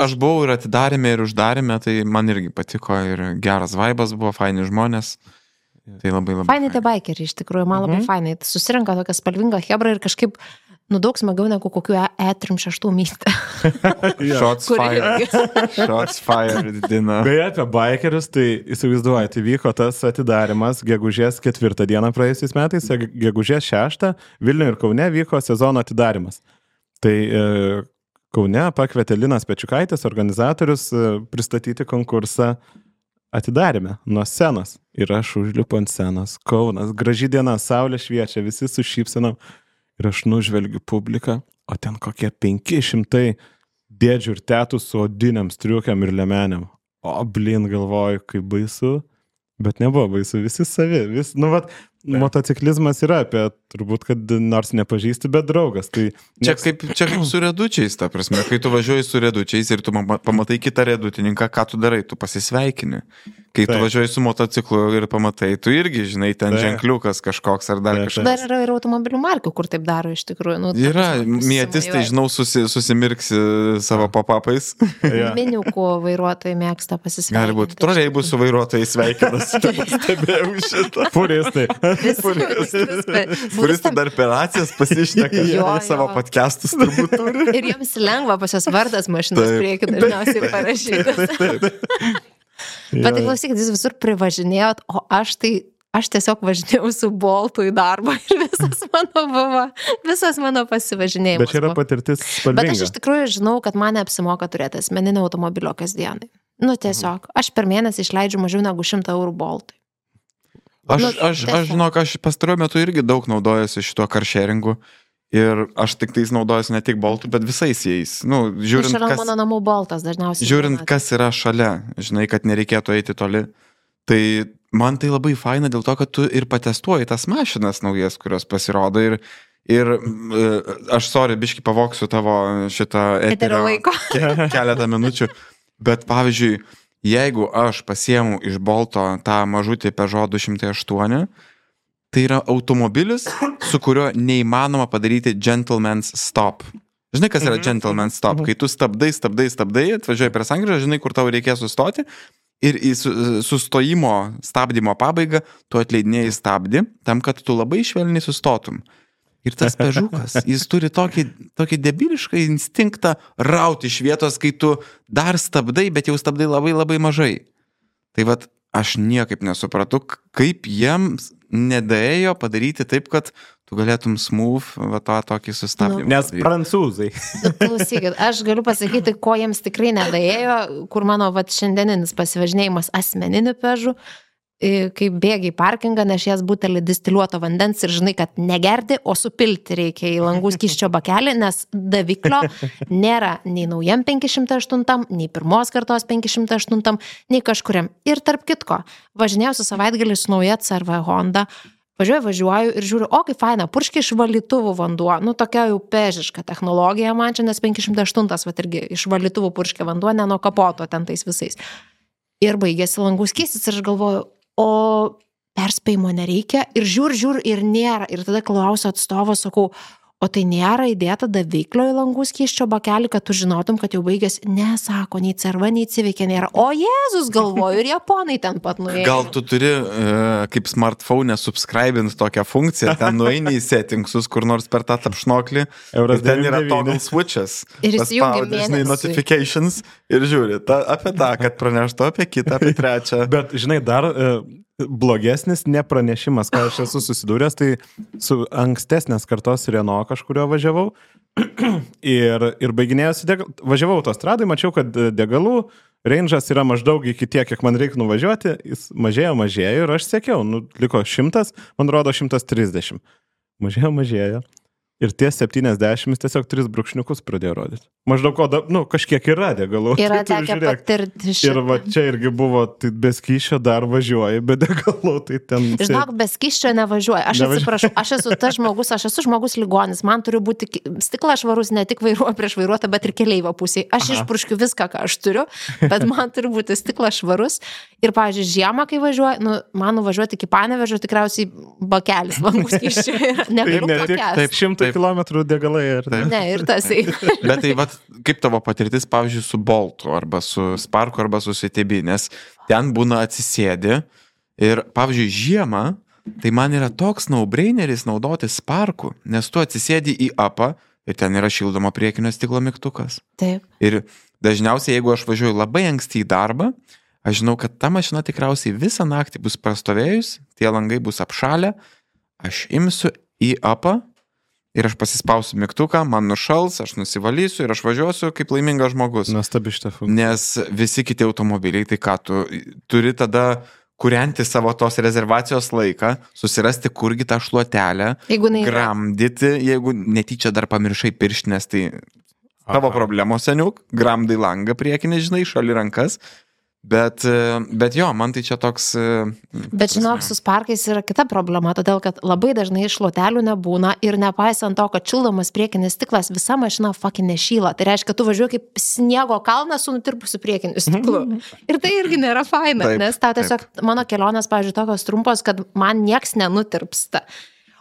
Aš buvau ir atidarėme, ir uždarėme, tai man irgi patiko ir geras vaibas buvo, faini žmonės. Tai labai Fainai tie baikeriai iš tikrųjų, man labai fainai. Susirenka tokia spalvinga hebra ir kažkaip daug smagiau negu kokiu E36 myste. Shots fired. Shots fired, Dina. Beje, apie baikerius, tai įsivaizduojate, vyko tas atidarimas gegužės 4 dieną praėjusiais metais, gegužės 6 Vilniuje ir Kaune vyko sezono atidarimas. Tai Kaune pakvietė Linas Pečiukaitis, organizatorius, pristatyti konkursą atidarėme nuo scenos. Ir aš užlipu ant scenos. Kaunas, graži diena, saulė šviečia, visi su šypsenom. Ir aš nužvelgiu publiką, o ten kokie 500 dėdžių ir tetų su odiniam striukiam ir lemenėm. O blin, galvoju, kaip baisu, bet nebuvo baisu, visi savi. Motociklizmas yra apie, turbūt, kad nors nepažįsti, bet draugas. Tai čia kaip su redučiais, ta prasme, kai tu važiuoji su redučiais ir tu pamatai kitą redutininką, ką tu darai, tu pasisveikini. Kai tu važiuoji su motociklu ir pamatai, tu irgi, žinai, ten ženkliukas kažkoks ar dar kažkas. Dar yra ir automobilių markių, kur taip daro iš tikrųjų. Yra, mėtis, tai žinau, susimirksi savo pop-upais. Miniukų vairuotojai mėgsta pasisveikinti. Gali būti, troleibusų vairuotojai sveikinas. Stebėjau šitą. Furistai. Furistai dar per racijas pasišneka savo podcastus turbūt turi. Ir jiems lengva pas jos vardas mašinos prieki dažniausiai parašytas. Bet tai klausykit, jūs visur privažinėjot, o aš tiesiog važinėjau su Boltu į darbą ir visas mano pasivažinėjimas. Bet čia yra patirtis spalvinga. Bet aš iš tikrųjų žinau, kad man neapsimoka turėti asmeninio automobilio kasdienai. Tiesiog, aš per mėnesį išleidžiu mažiau negu 100 eurų Boltui. Aš žinok, aš pastaruoju metu irgi daug naudojuosi šituo carsharingu. Ir aš tik tais naudojuosi ne tik Boltų, bet visais jais. Žiūrint, mano namų Boltas dažniausiai. Žiūrint, kas yra šalia, žinai, kad nereikėtų eiti toli. Tai man tai labai faina dėl to, kad tu ir patestuoji tas mašinas naujas, kurios pasirodo. Ir aš, biškį pavoksiu tavo šitą eterio laiko keletą minučių. Bet pavyzdžiui, jeigu aš pasiemu iš Bolto tą mažutį Peugeot 208, tai yra automobilis, su kuriuo neįmanoma padaryti gentleman's stop. Žinai, kas yra gentleman's stop? Kai tu stabdai, atvažiuoji prie sankryžą, žinai, kur tau reikės sustoti ir į stabdymo pabaigą tu atleidinėjai stabdį, tam, kad tu labai švelniai sustotum. Ir tas Peugeotas, jis turi tokį debilišką instinktą rauti iš vietos, kai tu dar stabdai, bet jau stabdai labai labai mažai. Tai vat, aš niekaip nesupratau, kaip jiems nedaėjo padaryti taip, kad tu galėtum smooth tokį sustabdymą. Nes prancūzai. Klausykit, aš galiu pasakyti, ko jiems tikrai nedaėjo, kur mano šiandieninis pasivažinėjimas asmeniniu Peugeot, kai bėgi į parkingą, nešies butelį distiliuoto vandens ir žinai, kad negerti, o supilti reikia į langų skysčio bakelį, nes daviklio nėra nei naujam 508, nei pirmos kartos 508, nei kažkuriam. Ir tarp kitko, važinėjausi savaitgalį su nauja CR-V Honda, važiuoju ir žiūriu, kaip faina, purškia iš valytuvų vanduo, tokia jau pežiška technologija man čia, nes 508 irgi iš valytuvų purškia vanduo, ne nuo kapoto ten tais visais. Ir baigėsi langų skystis ir aš galvoju, o perspėjimo nereikia ir žiūr ir nėra. Ir tada klausiu atstovo, sakau, o tai nėra įdėta daviklio į langų skysčio bakelį, kad tu žinotum, kad jau baigėsi. Ne, sako, nei CR-V, nei Civic nėra. O Jėzus, galvoju, ir japonai ten pat nuėjo. Gal tu turi kaip smartphone subscribint tokią funkciją, ten nueini į settingsus, kur nors per tą tapšnoklį, ir ten yra toggle switches. Ir įsijungi mėnesį. Notifications ir žiūri apie tą, kad praneštų apie kitą, apie trečią. Bet, žinai, dar blogesnis nepranešimas, ką aš esu susidūręs, tai su ankstesnės kartos Renault kažkurio važiavau ir baiginėjosi važiavau autostradai, mačiau, kad degalų range'as yra maždaug iki tiek, kiek man reikia nuvažiuoti, jis mažėjo ir aš sekiau, liko 100, man rodo 130. Mažėjo. Ir tie 70 tiesiog 3 brūkšniukus pradėjo rodyti. Maždaug, kažkiek yra degalų. Yra tekę patirti šitą. Ir va čia irgi buvo, tai be skysčio dar važiuoji, be degalų, tai ten... Žinok, be skysčio nevažiuoju. Aš atsiprašau, aš esu žmogus ligonis, man turi būti stiklas švarus, ne tik prieš vairuotą, bet ir keleivio pusėje. Aš išpurškiu viską, ką aš turiu, bet man turi būti stiklas švarus. Ir, pavyzdžiui, žiemą, kai važiuoju, man nuvažiuoti iki Panevėžio tikriausiai bakelis langų skysčio yra. Negaliu pakęsti. 100 kilometrų degalai. Ne, ir tasai. Bet tai, kaip tavo patirtis, pavyzdžiui, su Boltu, arba su Sparku, arba su CTB, nes ten būna atsisėdi ir, pavyzdžiui, žiemą, tai man yra toks no-braineris naudoti Sparku, nes tu atsisėdi į apą ir ten yra šildomo priekinio stiklo mygtukas. Taip. Ir dažniausiai, jeigu aš važiuoju labai anksti į darbą, aš žinau, kad ta mašina tikriausiai visą naktį bus prastovėjus, tie langai bus apšalę, aš imsiu į apą, ir aš pasispausiu mygtuką, man nušals, aš nusivalysiu ir aš važiuosiu kaip laimingas žmogus. Nuostabi šitą funkciją. Nes visi kiti automobiliai, tai ką tu turi tada kurianti savo tos rezervacijos laiką, susirasti kurgi tą šluotelę, gramdyti, jeigu netyčia dar pamiršai pirštinės, tai tavo problemos, seniuk, gramdai langą priekinį, žinai, šali rankas. Bet jo, man tai čia toks... Bet žinok, su Sparkais yra kita problema, todėl kad labai dažnai šluotelių nebūna ir nepaisant to, kad šildomas priekinis stiklas, visa mašina fucking nešyla. Tai reiškia, kad tu važiuoji kaip sniego kalnas su nutirpusiu priekiniu stiklu. Ir tai irgi nėra faina, nes tau tiesiog mano kelionės, pavyzdžiui, tokios trumpos, kad man nieks nenutirpsta.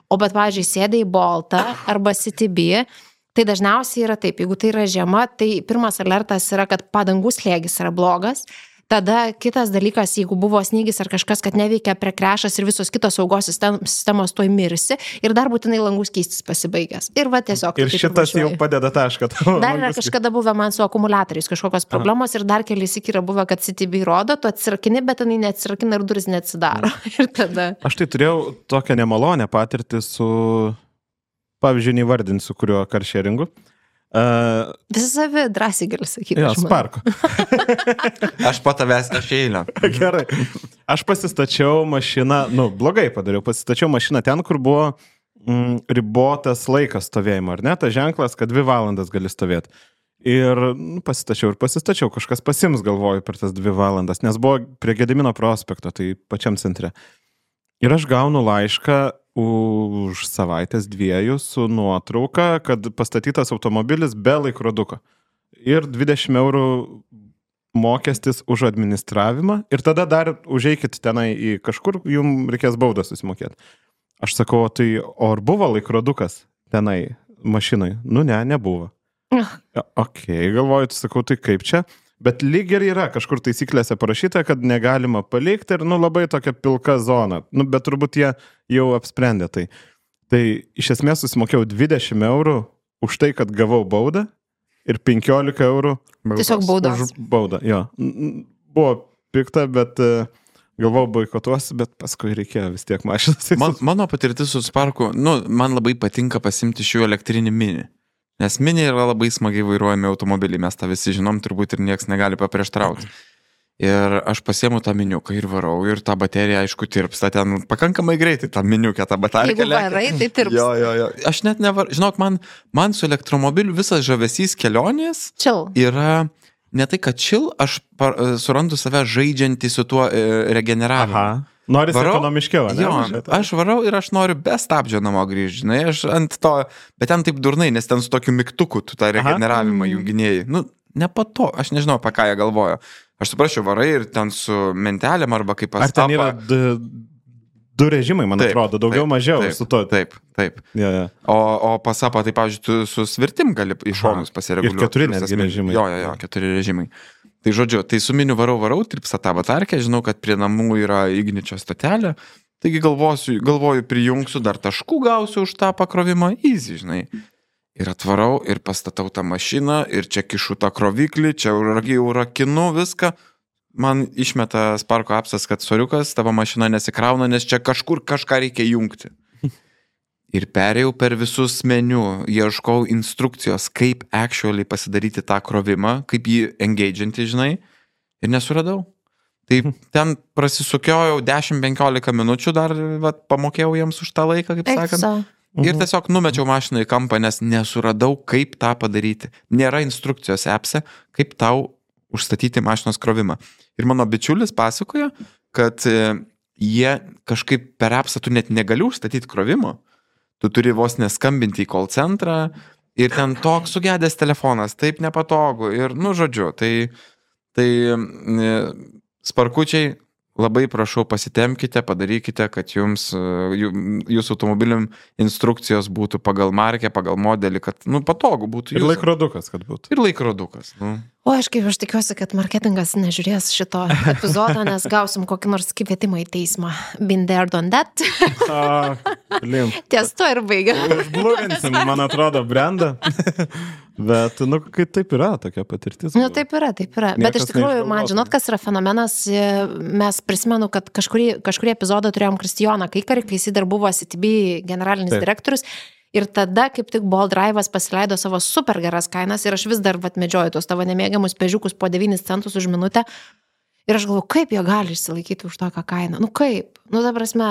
O bet, pavyzdžiui, sėdai į Boltą arba CTB, tai dažniausiai yra taip, jeigu tai yra žiema, tai pirmas alertas yra, kad padangų slėgis yra blogas. Tada kitas dalykas, jeigu buvo snygis ar kažkas, kad neveikia prekrešas ir visos kitos saugos sistemos tuoj mirsi ir dar būtinai langus keistis pasibaigęs. Ir va tiesiog. Ir šitas jau padeda tašką. Dar yra kažkada buvę man su akumuliatoriais kažkokios problemos ir dar keli syk yra buvę, kad CTB rodo, tu atsirakini, bet jinai neatsirakina ir duris neatsidaro. Ir tada... Aš tai turėjau tokią nemalonę patirtį su, pavyzdžiui, neįvardinsiu, kuriuo karšeringu. Visi savi drąsiai gali sakyti. Jo, Sparku. Aš patavęs eilę. Gerai. Aš pasistačiau mašiną, blogai padariau, pasistačiau mašiną ten, kur buvo ribotas laikas stovėjimo, ar ne? Ta ženklas, kad 2 valandas gali stovėti. Ir pasistačiau, kažkas pasims, galvoju, per tas 2 valandas, nes buvo prie Gedimino prospekto, tai pačiam centre. Ir aš gaunu laišką už savaitės 2 su nuotrauka, kad pastatytas automobilis be laikroduko. Ir 20 eurų mokestis už administravimą. Ir tada dar užeikit tenai į kažkur, jums reikės baudą susimokėti. Aš sakau, tai ar buvo laikrodukas tenai mašinai? Nebuvo. Galvoju, sakau, tai kaip čia? Bet lyg ir yra kažkur taisyklėse parašyta, kad negalima palikti ir, labai tokia pilka zona. Bet turbūt jie jau apsprendė tai. Tai iš esmės susimokėjau 20 eurų už tai, kad gavau baudą ir 15 eurų tiesiog baudos. Už baudą, jo. Buvo pikta, bet galvau boikotuosi, bet paskui reikėjo vis tiek mašinas. Mano patirtis su Sparku, man labai patinka pasimti šių elektrinį mini. Nes mini yra labai smagiai vairuojami automobiliai, mes tą visi žinom, turbūt ir nieks negali paprieštrauti. Ir aš pasiemu tą miniuką ir varau, ir ta baterija, aišku, tirpsta ten pakankamai greitai, tą miniukę, tą bateriją. Jeigu varai, tai tirpsta. Jo. Aš net žinok, man su elektromobiliu visas žavesys kelionės yra ne tai, kad aš surandu save žaidžiantį su tuo regeneravimu. Aha. Noris ekonomiškiau, ne? Jo, aš varau ir aš noriu be stabdžio namo grįžti, žinai, aš ant to, bet ten taip durnai, nes ten su tokiu mygtuku tu tą regeneravimą junginėjai. Ne po to, aš nežinau, apie ką jie galvojo. Aš suprasčiau, varai ir ten su mentelėm arba kaip pas Ar ten yra 2 režimai, man atrodo, daugiau mažiau su to. Taip. Ja. O pasapą, tai, pavyzdžiui, tu su svirtim gali iš šonus pasireguliuoti. Ir 4 netgi režimai. Jo, 4 režimai. Tai žodžiu, tai su miniu varau, tirpsta tą batarkę, žinau, kad prie namų yra igničio stotelė, taigi galvoju, prijungsiu, dar taškų gausiu už tą pakrovimą, easy, žinai. Ir atvarau, ir pastatau tą mašiną, ir čia kišu tą kroviklį, čia jau rakinu viską. Man išmeta Sparko apsas, kad soriukas, tavo mašina nesikrauna, nes čia kažkur kažką reikia jungti. Ir perėjau per visus meniu, ieškau instrukcijos, kaip actually pasidaryti tą krovimą, kaip jį engage'inti, žinai, ir nesuradau. Tai ten prasisukiojau 10-15 minučių, dar pamokėjau jiems už tą laiką, kaip sakant. ir tiesiog numečiau mašiną į kampą, nes nesuradau, kaip tą padaryti. Nėra instrukcijos appse, kaip tau užstatyti mašinos krovimą. Ir mano bičiulis pasakojo, kad jie kažkaip per appsą tu net negali užstatyti krovimo. Tu turi vos neskambinti į call centrą ir ten toks sugedęs telefonas, taip nepatogu. Ir, žodžiu, tai sparkučiai, labai prašau pasitemkite, padarykite, kad jūsų automobiliam instrukcijos būtų pagal markę, pagal modelį, kad patogu būtų. Ir laikrodukas, kad būtų. Ir laikrodukas. O aš tikiuosi, kad marketingas nežiūrės šito epizodo, nes gausim kokį nors kvietimą į teismą. Been there, done that. Ties to ir baigia. Užblurinsim, man atrodo, brandą. Bet, kai taip yra, tokia patirtis. Taip yra. Bet iš tikrųjų, man žinot, kas yra fenomenas, mes prisimenu, kad kažkurį epizodą turėjom Kristijoną Kaikarį, kai jis dar buvo CTB generalinis direktorius. Ir tada, kaip tik Bolt Drive'as pasileido savo super geras kainas ir aš vis dar medžioju tos tavo nemėgiamus pežiukus po 9 centus už minutę. Ir aš galvoju, kaip jie gali išsilaikyti už tokią kainą. Kaip? Ta prasme,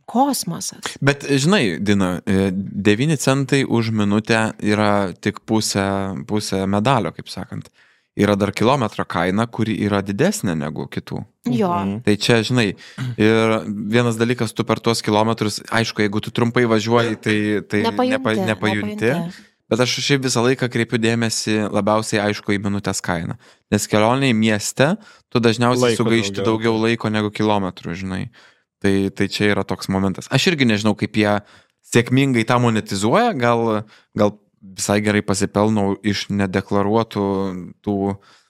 kosmosas. Bet, žinai, Dina, 9 centai už minutę yra tik pusė medalio, kaip sakant. Yra dar kilometro kaina, kuri yra didesnė negu kitų. Jo. Tai čia, žinai, ir vienas dalykas, tu per tuos kilometrus, aišku, jeigu tu trumpai važiuoji, tai nepajunti. Bet aš šiaip visą laiką kreipiu dėmesį labiausiai, aišku, į minutės kainą. Nes kelionėje mieste tu dažniausiai sugaišti daugiau laiko negu kilometrų, žinai. Tai čia yra toks momentas. Aš irgi nežinau, kaip jie sėkmingai tą monetizuoja, gal visai gerai pasipelnau iš nedeklaruotų tų,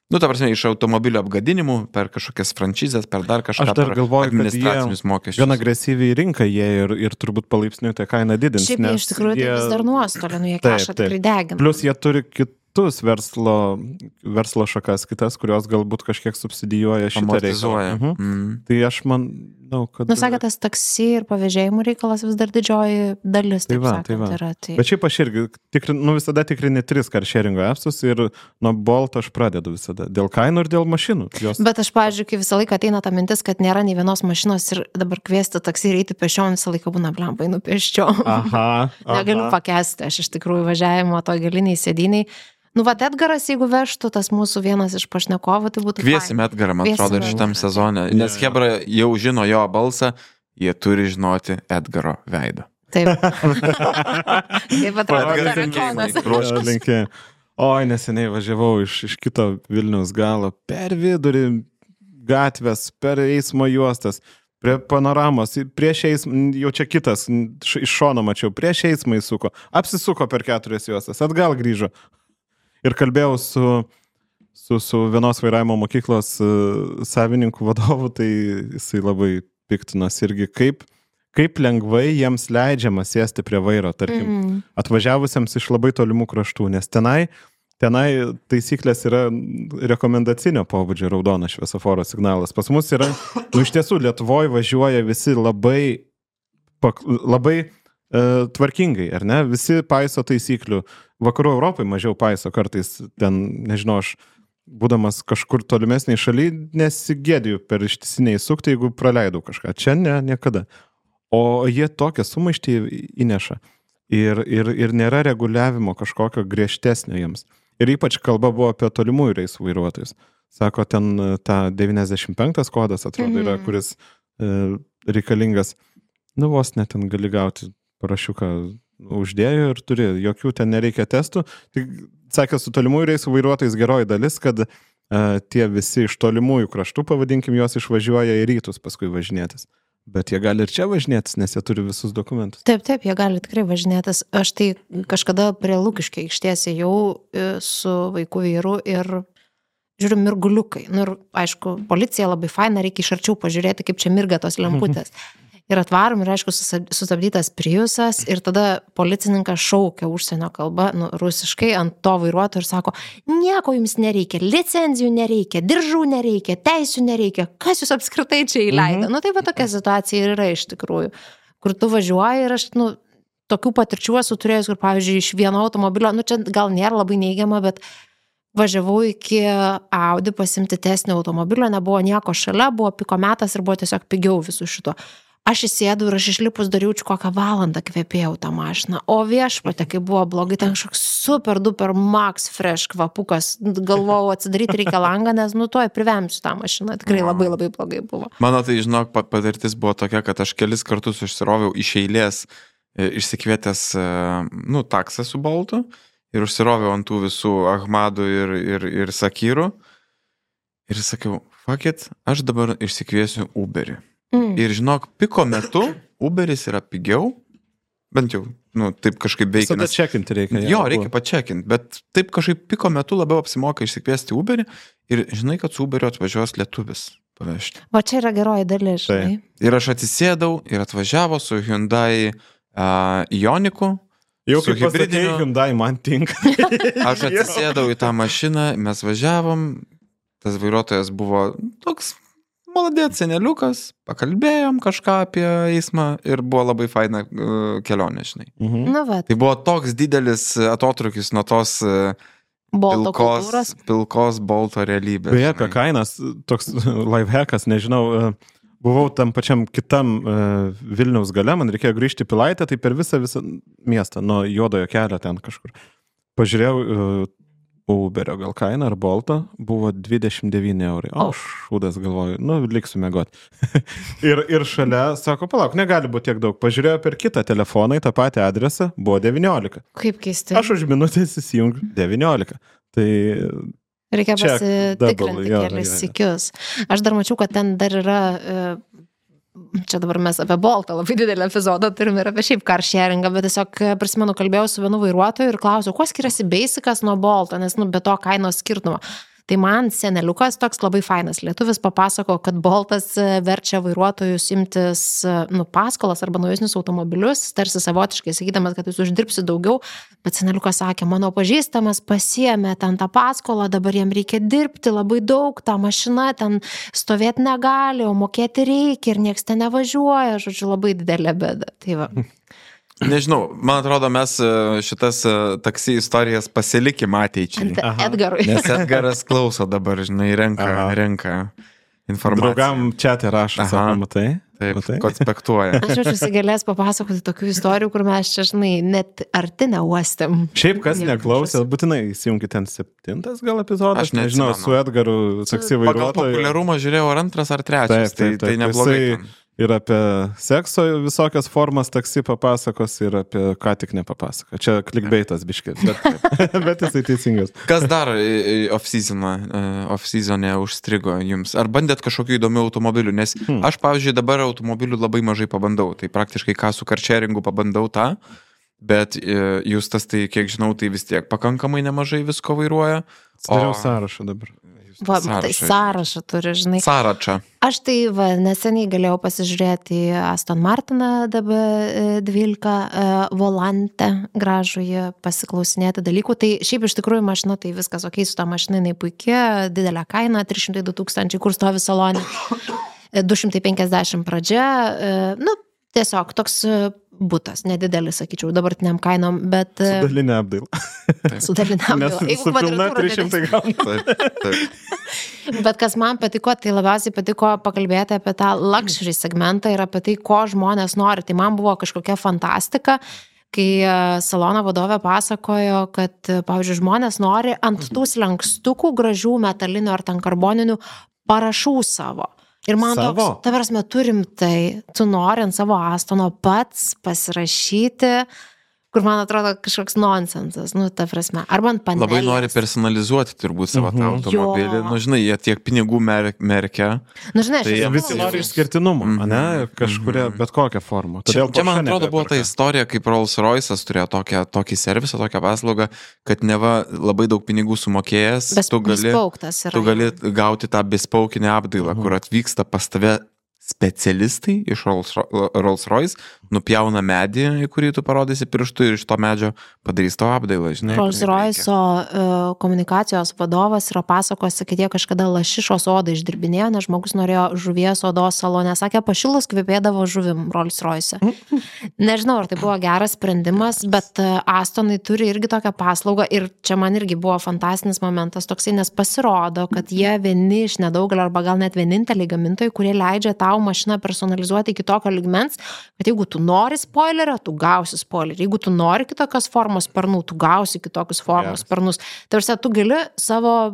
ta prasme, iš automobilio apgadinimų per kažkokias frančizės, per dar kažką. Aš dar galvoju, administracinius mokesčius. Gan agresyviai rinka jie ir turbūt palaipsniui tą kainą didins. Šiaip iš tikrųjų tai vis dar nuostolį, jie kažką tikrai degina. Plus jie turi kitus verslo šakas, kitas, kurios galbūt kažkiek subsidijuoja šitą reikalą. Tai aš manau, kad... Sakė, tas taksi ir pavėžėjimų reikalas vis dar didžioji dalis, taip sakant, yra. Bet šiaip aš irgi visada tikrini 3 carsharingo appsus ir nuo Bolt aš pradedu visada. Dėl kainų ir dėl mašinų. Bet aš, pavyzdžiui, kai visą laiką ateina ta mintis, kad nėra nei vienos mašinos ir dabar kviesti taksi ir eiti pešiom, visą laiką būna blembai nupieščiom. Negaliu pakęsti, aš iš tikrųjų važiavimo toj galiniai sėdiniai. Edgaras, jeigu vežtų, tas mūsų vienas iš pašnekovų, tai būtų... Kviesim Edgarą, man atrodo, ir šitam sezone. Nes Hebra jau žino jo balsą, jie turi žinoti Edgaro veidą. Taip. Taip atrodo. Oi, neseniai važiavau iš kito Vilniaus galo, per vidurį gatvės, per eismo juostas, prie panoramos, prieš eismą, jau čia kitas, iš šono mačiau, prieš eismą įsuko, apsisuko per 4 juostas, atgal grįžo. Ir kalbėjau su vienos vairavimo mokyklos savininku vadovu, tai jisai labai piktinos irgi, kaip lengvai jiems leidžiama sėsti prie vairo, tarkim, atvažiavusiems iš labai tolimų kraštų, nes tenai taisyklės yra rekomendacinio pobūdžio raudonas šviesoforo signalas. Pas mus yra, iš tiesų, Lietuvoje važiuoja visi labai tvarkingai, ar ne? Visi paiso taisyklių. Vakarų Europai mažiau paiso kartais, ten, nežinau, aš būdamas kažkur tolimesniai šaly, nesigėdiju per ištisiniai sukti, jeigu praleidau kažką. Čia niekada. O jie tokią sumaištį įneša. Ir nėra reguliavimo kažkokio griežtesnio jiems. Ir ypač kalba buvo apie tolimųjų reisų vairuotojus. Sako, ten ta 95 kodas, atrodo, yra, kuris reikalingas. Vos net ten gali gauti parašiuką uždėjo ir turi, jokių ten nereikia testų. Tai, sakė, su tolimųjų reisų vairuotojais geroji dalis, kad tie visi iš tolimųjų kraštų, pavadinkim, juos išvažiuoja į rytus paskui važinėtis. Bet jie gali ir čia važinėtis, nes jie turi visus dokumentus. Taip, jie gali tikrai važinėtis. Aš tai kažkada prie Lukiškio aikštės jau su vaikų vyru ir žiūriu mirguliukai. Ir aišku, policija labai faina, reikia iš arčiau pažiūrėti, kaip čia mirga tos lemputės. Ir atvarom ir, aišku, sustabdytas Priusas ir tada policininkas šaukia užsienio kalbą, rusiškai, ant to vairuotojo ir sako, nieko jums nereikia, licenzijų nereikia, diržų nereikia, teisių nereikia, kas jūs apskritai čia įleido. Tai va tokia situacija yra iš tikrųjų, kur tu važiuoji ir aš, tokių patirčių esu turėjus, kur, pavyzdžiui, iš vieno automobilio, čia gal nėra labai neigiama, bet važiavau iki Audi pasimti tesnio automobilio, nebuvo nieko šalia, buvo piko metas ir buvo tiesiog pigiau visų šito. aš įsėdau ir aš išlipus dariaučiau kokią valandą kvepėjau tą mašiną. O viešpatė, kai buvo blogai, ten kažkoks super duper max fresh kvapukas. Galvojau, atsidaryti reikia langą, nes tuoj privemsiu tą mašiną. Tikrai labai labai blogai buvo. Mano tai, žinok, patirtis buvo tokia, kad aš kelis kartus užsiroviau iš eilės, išsikvietęs, taksą su Boltu ir užsiroviau ant tų visų Ahmadų ir Sakyrų. Ir sakiau, fuck it, aš dabar išsikviesiu Uberį. Ir žinok, piko metu Uberis yra pigiau, bent jau, taip kažkaip veikia. Visada čekinti reikia. Jo, reikia pačekinti, bet taip kažkaip piko metu labiau apsimoka išsikviesti Uberį ir žinai, kad su Uberiu atvažiuos lietuvis pavežti. Va čia yra geroji dalis, žinai. Ir aš atsisėdau ir atvažiavo su Hyundai Ioniku. Jau kaip pasakėjai, Hyundai man tinka. Aš atsisėdau į tą mašiną, mes važiavom, tas vairuotojas buvo toks maladėt seneliukas, pakalbėjom kažką apie eismą ir buvo labai faina kelionė, žinai. Tai buvo toks didelis atotrukis nuo tos pilkos Bolto realybės. Beje, apie kainas, toks lifehackas, nežinau, buvau tam pačiam kitam Vilniaus gale, man reikėjo grįžti į Pilaitę, tai per visą miestą, nuo Juodojo kelio ten kažkur. Pažiūrėjau Uberio gal kaina ar Bolto, buvo 29 eurai. O, šūdas galvoju, liksiu mėgoti. ir šalia, sako, palauk, negali būti tiek daug. Pažiūrėjau per kitą telefoną į tą patį adresą, buvo 19. Kaip keistai. Aš už minutės įsijungiu 19. Tai reikia pasitikrinti kelis sykius. Aš dar mačiau, kad ten dar yra... Čia dabar mes apie Boltą labai didelį epizodą turim ir apie šiaip car sharingą, bet tiesiog prisimenu, kalbėjau su vienu vairuotoju ir klausiau, kuo skiriasi Basicas nuo Bolto, nes be to kainos skirtumo. Tai man seneliukas toks labai fainas lietuvis papasako, kad Boltas verčia vairuotojus imtis paskolas arba naujusnius automobilius, tarsi savotiškai sakydamas, kad jūs uždirbsi daugiau, bet seneliukas sakė, mano pažįstamas pasiėmė ten tą paskolą, dabar jam reikia dirbti labai daug, ta mašina ten stovėti negali, o mokėti reikia ir nieks ten nevažiuoja, žodžiu, labai didelė bėda. Tai va. Nežinau, man atrodo, mes šitas taksi istorijas pasilikim ateičiai. Edgarui. Nes Edgaras klauso dabar, žinai, renka informaciją. Draugam čia rašo, sako, matai? Taip, konspektuoja. Aš jaučiuosi galės papasakoti tokių istorijų, kur mes čia, žinai, net arti neuostėm. Šiaip, kas neklausė, būtinai įsijungti ten 7 gal epizodas. Aš nežinau, su Edgaru taksi vairuotoju. Pagal populiarumą žiūrėjau ar 2 ar 3, tai neblogai. Ir apie sekso visokias formas taksi papasakos ir apie ką tik nepapasako. Čia clickbaitas biškis, bet jisai teisingas. Kas dar off-season'e užstrigo jums? Ar bandėt kažkokių įdomių automobilių? Nes aš, pavyzdžiui, dabar automobilių labai mažai pabandau. Tai praktiškai ką su car sharingu pabandau tą, bet Justas, tai kiek žinau, tai vis tiek pakankamai nemažai visko vairuoja. Dariau sąrašą dabar. Tai sąrašą turi, žinai. Sąrašą. Aš tai neseniai galėjau pasižiūrėti į Aston Martiną DB12 volante, gražųjį, pasiklausinėti dalykų. Tai šiaip iš tikrųjų mašina, tai viskas ok, su tą mašiną jinai puikia, didelė kaina, 302 000, kur stovi salonė, 250 pradžia, tiesiog toks butas, nedidelis, sakyčiau, dabartiniam kainom, bet... Su dalinė apdaila. Su dalinė apdaila. Nes su pilna 300 gauna. Bet kas man patiko, tai labiausiai patiko pakalbėti apie tą luxury segmentą ir apie tai, ko žmonės nori. Tai man buvo kažkokia fantastika, kai salono vadovė pasakojo, kad, pavyzdžiui, žmonės nori ant tų slenkstukų gražių metalinių ar ten karboninių parašų savo. Ir man toks, ta prasme, turim tai, tu nori ant savo Astono pats pasirašyti, kur man atrodo kažkoks nonsensas, ta prasme, arba ant panelės. Labai nori personalizuoti turbūt savo tą automobilį, žinai, jie tiek pinigų merkia. Žinai, tai visi nori išskirtinumo, ne, kažkuria, bet kokią formą. Čia man atrodo buvo ta istorija, kaip Rolls Royce'as turėjo tokį servisą, tokią paslaugą, kad neva labai daug pinigų sumokėjęs, tu gali gauti tą bespaukinę apdailą, kur atvyksta pas tave specialistai iš Rolls Royce, nupjauna medį, į kurį tu parodysi pirštų ir iš to medžio padarys to apdailą, žinai. Rolls Royce'o komunikacijos vadovas yra pasakos, kad jie kažkada lašišos odą išdirbinėjo, nes žmogus norėjo žuvies odos salone, sakė, pašilus kvepėdavo žuvim Rolls Royce. Nežinau, ar tai buvo geras sprendimas, bet Astonai turi irgi tokią paslaugą ir čia man irgi buvo fantastinis momentas toksai, nes pasirodo, kad jie vieni iš nedaugelio arba gal net vieninteliai gamintojai, kurie leidžia tą tau mašiną personalizuoti iki tokio lygmens, kad jeigu tu nori spoilerio, tu gausi spoilerį. Jeigu tu nori kitokios formos sparnų, tu gausi kitokius formos sparnus. Tarsi tu gali savo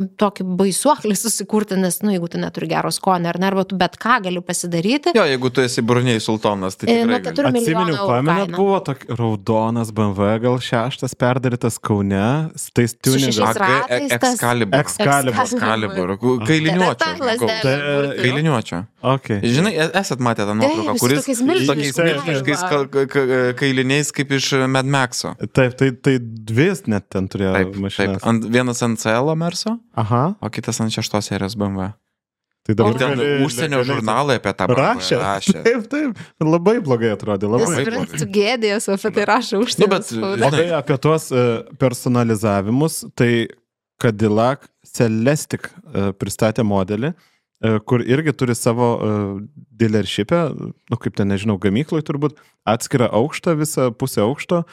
tokį baisuoklį susikurti, nes, jeigu tu neturi gero skonio, arba tu bet ką gali pasidaryti. Jo, jeigu tu esi Brunei sultonas, tai tikrai gali. Atsiminiau, pamenat, buvo toks raudonas BMW, gal 6 perdarytas Kaune, tais tuningas. Excalibur. Kailiniuočio. Okay. Žinai, esat matę tą nuotrauką, kuris tokiais milžiniškais kailiniais kaip iš Mad Maxo. Taip, tai dvi net ten turėjo mašinas. Vienas ant CL Merso, aha, o kitas ant 6 serijos BMW. Tai dabar ten užsienio žurnalai apie tą rašė. Taip, labai blogai atrodė. Tu gėdėjęs apie tai rašo užsienio. Labai apie tuos personalizavimus, tai Cadillac Celestiq pristatė modelį, kur irgi turi savo dealership'e, kaip ten, nežinau, gamykloj turbūt, atskirą aukštą, visą pusę aukšto,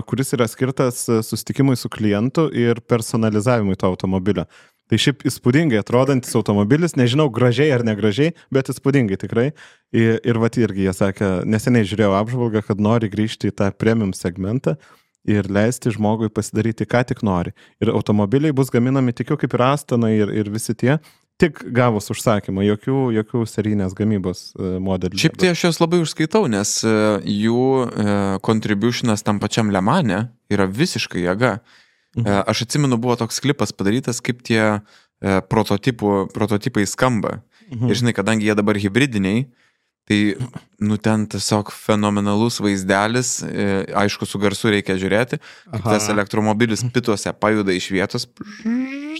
kuris yra skirtas susitikimui su klientu ir personalizavimui to automobilio. Tai šiaip įspūdingai atrodantis automobilis, nežinau, gražiai ar negražiai, bet įspūdingai tikrai. Ir vat irgi jie sakė, neseniai žiūrėjau apžvalgą, kad nori grįžti į tą premium segmentą ir leisti žmogui pasidaryti, ką tik nori. Ir automobiliai bus gaminami tikiu kaip ir Astana ir visi tie, tik gavus užsakymą, jokių serijinės gamybos modelių. Šiaip tai aš jos labai užskaitau, nes jų contributionas tam pačiam Le Mane yra visiškai jėga. Aš atsimenu, buvo toks klipas padarytas, kaip tie prototipai skamba. Ir žinai, kadangi jie dabar hibridiniai, tai ten tiesiog fenomenalus vaizdelis, aišku, su garsu reikia žiūrėti, kaip tas elektromobilis pituose pajuda iš vietos,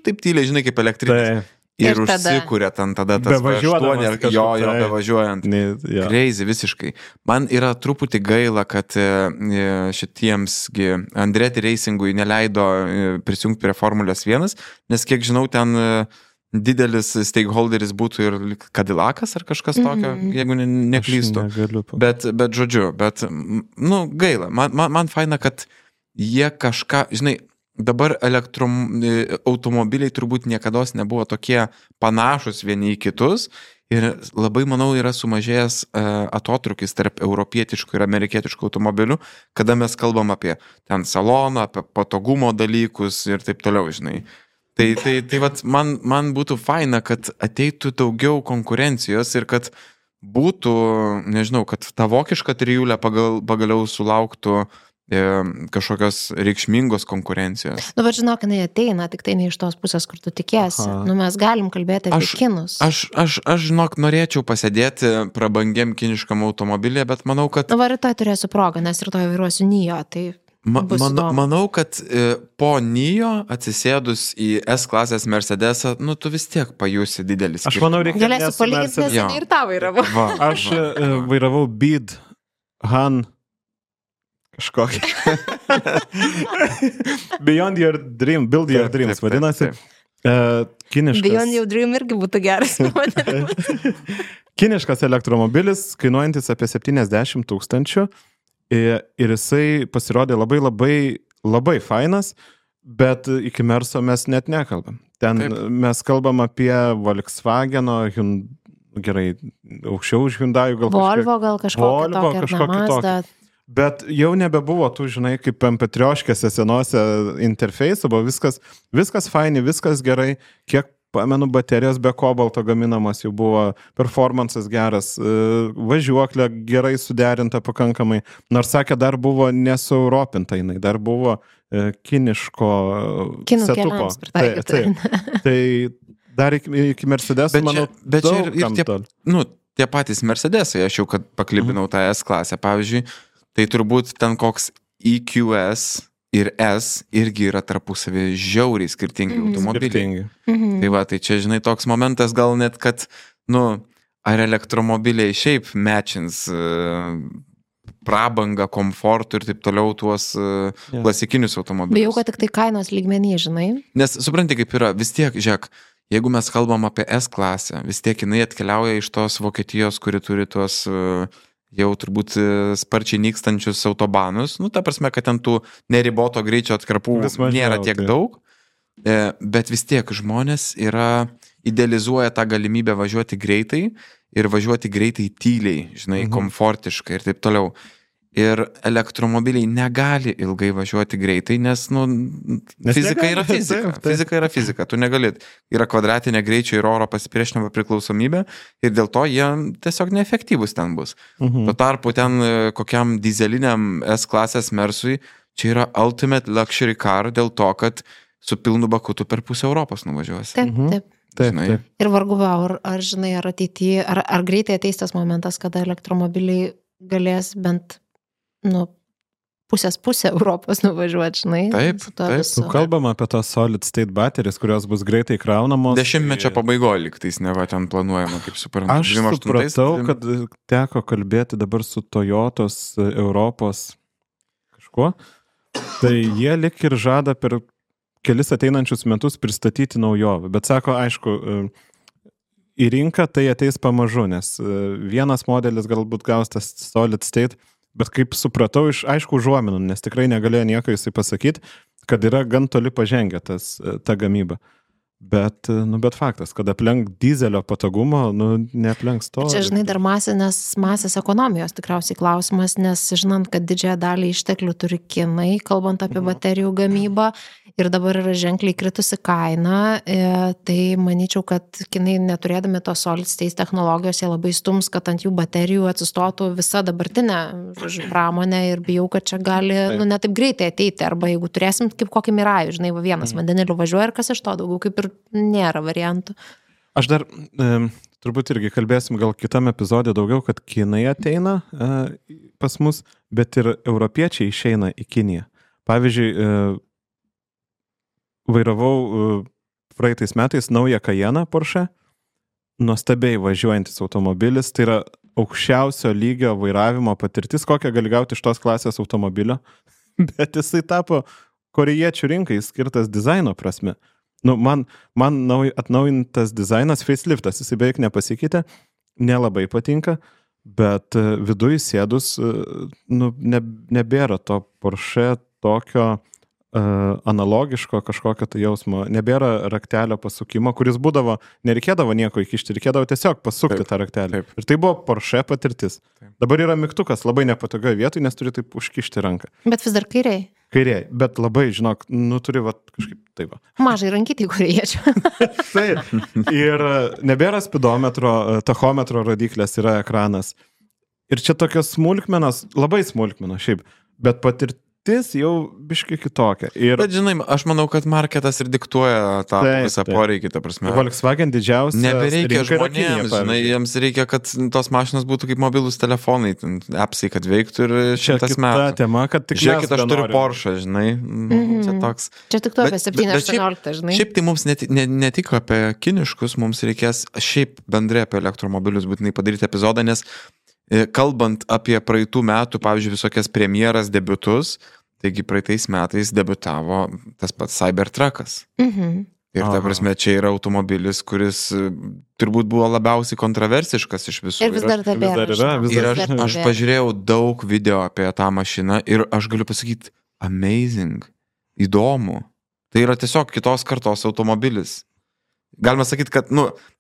taip tyliai, žinai, kaip elektrinis. Ir užsikūrė ten tada tas V8, jo bevažiuojant. Crazy visiškai. Man yra truputį gaila, kad šitiemsgi Andretti Racingui neleido prisijungti prie Formulės 1, nes kiek žinau, ten didelis stakeholderis būtų ir Cadillacas ar kažkas tokio, jeigu neklystu. Bet žodžiu, gaila. Man faina, kad jie kažką, žinai, dabar automobiliai turbūt niekados nebuvo tokie panašus vieni į kitus ir labai, manau, yra sumažėjęs atotrukis tarp europietiškų ir amerikietiškų automobilių, kada mes kalbam apie ten saloną, apie patogumo dalykus ir taip toliau, žinai. Tai vat, man būtų faina, kad ateitų daugiau konkurencijos ir kad būtų, nežinau, kad ta vokiška trijulė pagaliau sulauktų kažkokios reikšmingos konkurencijos. Bet žinok, jinai ateina, tik tai ne iš tos pusės, kur tu tikėsi. Mes galim kalbėti apie kinus. Aš žinok, norėčiau pasėdėti prabangiam kiniškam automobilį, bet manau, kad... Rytoj turėsiu progą, nes rytoj vairuosiu NIO, tai manau, kad po NIO atsisėdus į S klasės Mercedesą, tu vis tiek pajusi didelis. Aš manau, reikia... Galėsiu palyginti, nes ir tą vairavau. Aš vairavau BID Han kažkokį. Beyond Your Dream, Build Your Dreams, vadinasi. Kiniškas. Beyond Your Dream irgi būtų geras. Kiniškas elektromobilis, kainuojantis apie 70 000 ir jisai pasirodė labai fainas, bet iki Merso mes net nekalbam. Ten mes kalbam apie Volkswageno, gerai, aukščiau už Hyundai, gal Volvo, gal kažkokį Mazda. Bet jau nebebuvo tų, žinai, kaip MP3-škėse senose interfeisų, buvo viskas faini, viskas gerai, kiek pamenu, baterijos be kobalto gaminamas jau buvo, performances geras, važiuoklė gerai suderinta pakankamai, nors sakė, dar buvo nesueuropinta jinai, dar buvo kiniško setupo. Tai dar iki Mercedes, manau, daug kam tol. Tie patys Mercedesai, aš jau kad paklibinau tą S klasę, pavyzdžiui, tai turbūt ten koks EQS ir S irgi yra tarpusavį žiauriai skirtingi automobiliai. Tai va, tai čia, žinai, toks momentas gal net, kad, ar elektromobiliai šiaip matchins prabangą, komfortų ir taip toliau tuos klasikinius automobilius. Bijau, kad tik tai kainos lygmenį, žinai. Nes supranti, kaip yra, vis tiek, žiūrėk, jeigu mes kalbam apie S klasę, vis tiek jinai atkeliauja iš tos Vokietijos, kuri turi tuos jau turbūt sparčiai nykstančius autobanus, ta prasme, kad ten tų neriboto greičio atkarpų nėra tiek daug, bet vis tiek žmonės idealizuoja tą galimybę važiuoti greitai ir važiuoti greitai tyliai, žinai, komfortiškai ir taip toliau. Ir elektromobiliai negali ilgai važiuoti greitai, nes fizika yra fizika. Fizika yra fizika. Tu negali. Yra kvadratinė greičio ir oro pasipriešinimo priklausomybė ir dėl to jie tiesiog neefektyvus ten bus. Tuo tarpu ten kokiam dizeliniam S-klasės Mersui čia yra ultimate luxury car dėl to, kad su pilnu baku tu per pusę Europos nuvažiuosi. Taip. Ir vargu, ar žinai, ar ateityje, ar greitai ateis tas momentas, kada elektromobiliai galės bent pusę Europos nuvažiuoti, žinai. Taip. Kalbam apie tos solid state baterijos, kurios bus greitai kraunamos. 10-mečio pabaigoje liktais neva ten planuojama, kaip suprantu. Aš supratau, kad teko kalbėti dabar su Toyotos Europos kažkuo. Tai jie lik ir žada per kelis ateinančius metus pristatyti naujovę. Bet sako, aišku, į rinką tai ateis pamažu, nes vienas modelis galbūt gaus tas solid state, bet kaip supratau iš aišku užuominų, nes tikrai negalėjo nieko jisai pasakyti, kad yra gan toli pažengę ta gamyba. Bet faktas, kad aplenk dizelio patogumo, neaplenks to. Čia, žinai, dar masės ekonomijos tikriausiai klausimas, nes žinant, kad didžiąją dalį išteklių turi Kinai, kalbant apie baterijų gamybą, ir dabar yra ženkliai kritusi kaina, tai manyčiau, kad Kinai neturėdami tos solid state technologijos, jie labai stums, kad ant jų baterijų atsistotų visa dabartinė pramonė ir bijau, kad čia gali ne taip greitai ateiti, arba jeigu turėsim kaip kokį Mirajų, žinai, vienas vandeniliu važiuoja ir kas iš to daugiau kaip ir nėra variantų. Aš dar turbūt irgi kalbėsim gal kitam epizodė daugiau, kad Kinai ateina pas mus, bet ir europiečiai išeina į Kiniją. Pavyzdžiui, vairavau praeitais metais naują Cayenną Porsche, nuostabiai važiuojantis automobilis, tai yra aukščiausio lygio vairavimo patirtis, kokią gali gauti iš tos klasės automobilio, bet jisai tapo korėjiečių rinkai skirtas dizaino prasme. Man atnaujintas dizainas, faceliftas, jisai beveik nepasikeitė, nelabai patinka, bet viduje sėdus nebėra to Porsche tokio analogiško kažkokio tai jausmo, nebėra raktelio pasukimo, kuris būdavo, nereikėdavo nieko įkišti, reikėdavo tiesiog pasukti tą raktelį. Ir tai buvo Porsche patirtis. Dabar yra mygtukas labai nepatogioje vietoje, nes turi taip užkišti ranką. Bet vis dar kairiai. Kairiai, bet labai, žinok, turi kažkaip taip. Mažai rankytai korėjiečių. Taip. Ir nebėra spidometro, tachometro rodiklės, yra ekranas. Ir čia tokios smulkmenos, labai smulkmenos šiaip, bet patirtis jau biškai kitokia. Bet žinai, aš manau, kad marketas ir diktuoja tą visą poreikį, ta prasme. Volkswagen didžiausia. Nebereikia žmonėms, žinai, jiems reikia, kad tos mašinos būtų kaip mobilūs telefonai, appsai, kad veiktų ir 100 metų. Ta tema, kad tik žiūrėkit, aš turiu Porsche, žinai. Čia toks. Čia tik tu apie 7-18, žinai. Šiaip tai mums ne tik apie kiniškus, mums reikės šiaip bendrai apie elektromobilius būtinai padaryti epizodą, nes kalbant apie praeitų metų, pavyzdžiui, visokias premjeras, debiutus, taigi praeitais metais debiutavo tas pats Cybertruckas. Ir ta prasme, čia yra automobilis, kuris turbūt buvo labiausiai kontroversiškas iš visų. Ir vis dar tebėra. Ir aš pažiūrėjau daug video apie tą mašiną ir aš galiu pasakyti, amazing, įdomu. Tai yra tiesiog kitos kartos automobilis. Galima sakyti, kad,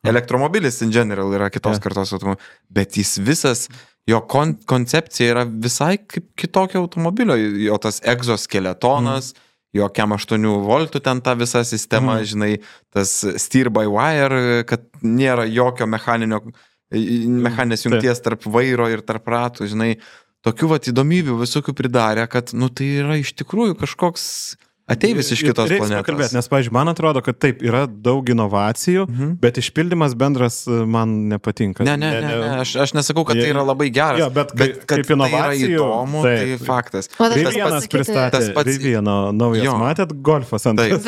elektromobilis in general yra kitos kartos automobilis, bet jis visas, jo koncepcija yra visai kaip kitokio automobilio, jo tas egzoskeletonas, jo kem 8 voltų ten ta visa sistema, žinai, tas steer by wire, kad nėra jokio mechaninės jungties tarp vairo ir tarp ratų, žinai, tokių įdomybių visokių pridarė, kad, tai yra iš tikrųjų kažkoks ateivis iš kitos planetos. Nes, pavyzdžiui, man atrodo, kad taip, yra daug inovacijų, bet išpildymas bendras man nepatinka. Ne, aš nesakau, kad tai yra labai geras, bet kad kaip inovacijų, tai yra įdomu, tai faktas. Rivienas pristatė, Rivieno naujas, matėt, Golfas antras.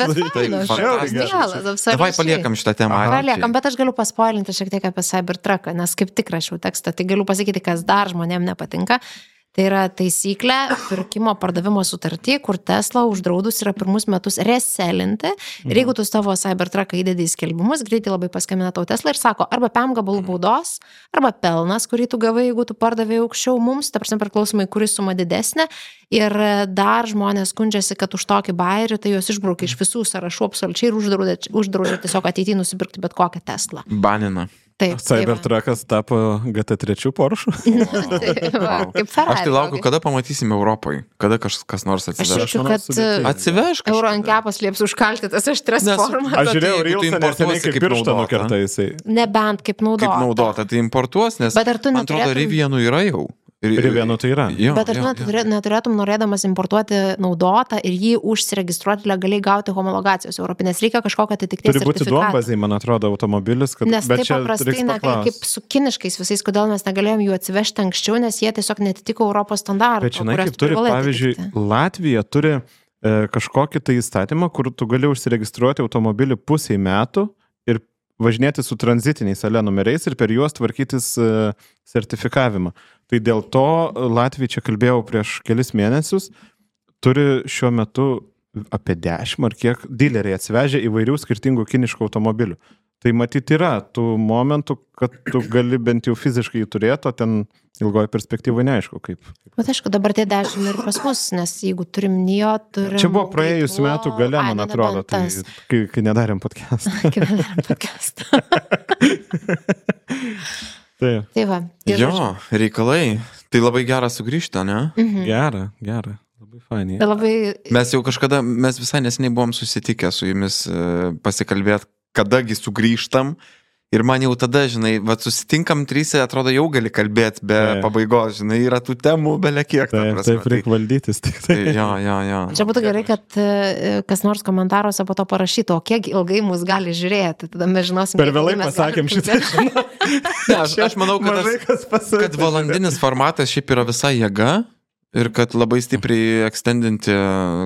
Davai paliekam šitą temą. Paliekam, bet aš galiu paspoilinti šiek tiek apie Cybertrucką, nes kaip tik rašiau tekstą, tai galiu pasakyti, kas dar žmonėm nepatinka. Tai yra taisyklė pirkimo pardavimo sutartį, kur Tesla uždraudus yra pirmus metus reselinti. Ir jeigu tu savo Cybertrucką įdedi į skelbimus, greitai labai paskambina tau Tesla ir sako, arba 5 gabalų baudos, arba pelnas, kurį tu gavai, jeigu tu pardavėjai aukščiau mums, ta prasme priklausomai, kuris suma didesnė. Ir dar žmonės skundžiasi, kad už tokį bairį, tai juos išbraukia iš visų sąrašų absoliučiai ir uždraudžia tiesiog ateityje nusipirkti bet kokią Teslą. Banina. Taip. Cybertruckas tapo GT3 Porsche. Kaip Ferrari. Aš tai laukiu, kada pamatysime Europoje, kada kas nors Aš atsiveš. jaučiu, kad Atsivežk. euro ant kepas lieps užkalti tas aštras formas. Aš žiūrėjau jeigu tu Reelsą, neseniai importuosi kaip kaip pirštą naudotą. nukerta jisai. Nebent kaip naudota. Kaip naudota, tai importuos, nes Bet ar tu man atrodo, neturėtum- Rivianų yra jau. Rivianų tai yra. Jo, Bet ar jo, tu jo. neturėtum norėdamas importuoti naudotą ir jį užsiregistruoti legaliai gauti homologacijos europinės? Reikia kažkokio atitikties Turi būti sertifikato. duombaziai, man atrodo, automobilis, kad... Nes bet taip čia paprastai, reiks ne, paklaust. kaip su kiniškais visais, kodėl mes negalėjom jų atsivežti anksčiau, nes jie tiesiog netitiko Europos standartų. Bet žinai, kaip turi, pavyzdžiui, Latvija turi kažkokį tai įstatymą, kur tu gali užsiregistruoti automobilį pusiai metų ir važinėti su tranzitiniais ale numeriais ir per juos tvarkytis sertifikavimą. Tai dėl to Latvija, čia kalbėjau prieš kelis mėnesius, turi šiuo metu apie 10 ar kiek dileriai atsivežę įvairių skirtingų kiniškų automobilių. Tai matyt yra tų momentų, kad tu gali bent jau fiziškai jį turėti, o ten ilgoje perspektyvoje neaišku kaip. Bet aišku, dabar tie 10 ir pas mus, nes jeigu turim NIO, turim... Čia buvo praėjusiu metu gale, man atrodo, tai kai nedarėm podcastą. Kai nedarėm podcastą. Taip. Tai va. Jo, reikalai. Tai labai gera sugrįžti, ne? Gera. Labai fainai. Tai labai... Mes jau kažkada, mes visai neseniai buvom susitikę su jumis pasikalbėti, kadagi sugrįžtam. Ir man jau tada, žinai, susitinkam trysia, atrodo, jau gali kalbėti be pabaigos, žinai, yra tų temų belia kiek. Taip, reikia valdytis tik tai. Jo. Čia būtų gerai, kad kas nors komentaruose po to parašytų, o kiek ilgai mus gali žiūrėti, tada mes žinosim. Per vėlai pasakėm šitą. Aš manau, kad valandinis formatas šiaip yra visai jėga. Ir kad labai stipriai ekstendinti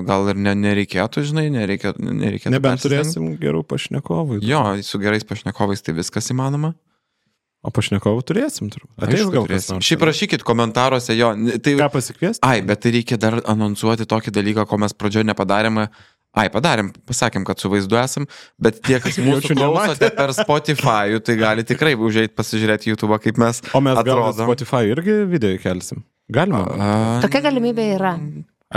gal ir nereikėtų, žinai, nereikėtų. Nebent turėsim gerų pašnekovų. Jo, su gerais pašnekovais tai viskas įmanoma. O pašnekovų turėsim, turbūt. Ateis gal kas nors. Šiaip rašykit komentaruose, jo. Tai... Ką pasikviesti? Ai, bet tai reikia dar anonsuoti tokį dalyką, ko mes pradžioje nepadarėme. Padarėm, pasakėm, kad su vaizdu esam, bet tie, kas mūsų klausote per Spotify, tai gali tikrai užeit pasižiūrėti YouTube, kaip mes atrodom. O mes gal atrodom. Spotify irgi video įkelsim. Galima. Tokia galimybė yra.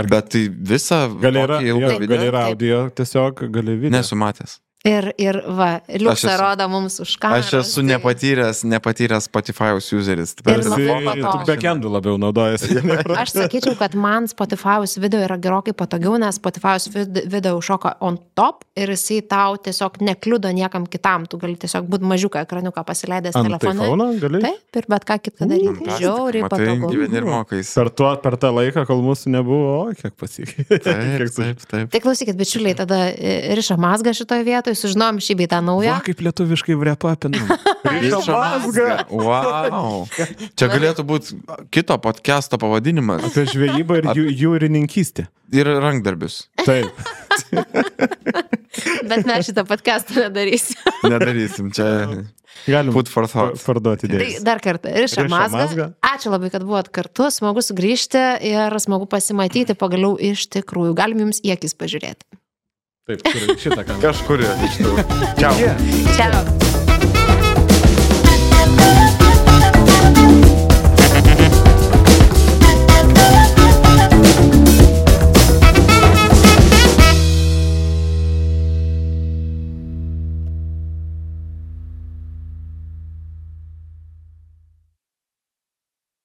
Bet tai visą gali yra Taip. audio, tiesiog gali video. nesu matęs. Ir va, Liuksą rodo mums už kameros. Aš esu nepatyręs Spotify'us useris. Ir Esi tik backendų labiau naudojasi. Aš sakyčiau, kad man Spotify'us video yra gerokai patogiau, nes Spotify'us video užšoka on top ir jisai tau tiesiog nekliudo niekam kitam. Tu gali tiesiog būti mažiuką ekraniuką pasileidęs telefonu. Gali? Taip, ir bet ką kitką daryti. Žiauriai patogu. Gyveni ir mokais. Per tą laiką, kol mūsų nebuvo, kiek pasikeitė. Taip. Tai klausykit, bičiuliai, tada riša mazgą šitoje vietoje, sužinom šį bei tą naują. Va, kaip lietuviškai vrepapinam. Riša mazgą. Wow. Čia galėtų būti kito podcast'o pavadinimas. Apie žvejybą ir jūrininkystę. Ir rankdarbius. Taip. Bet mes šitą podcastą nedarysim. Nedarysim, čia Galim put for thought. parduoti Tai idėjas. dar kartą, riša mazgą. mazgą. Ačiū labai, kad buvot kartu, smagu sugrįžti ir smagu pasimatyti pagaliau iš tikrųjų. Galim jums į akis pažiūrėti. Taip, šitą kamerą. Kažkur iš tų. Čiau. Ciao.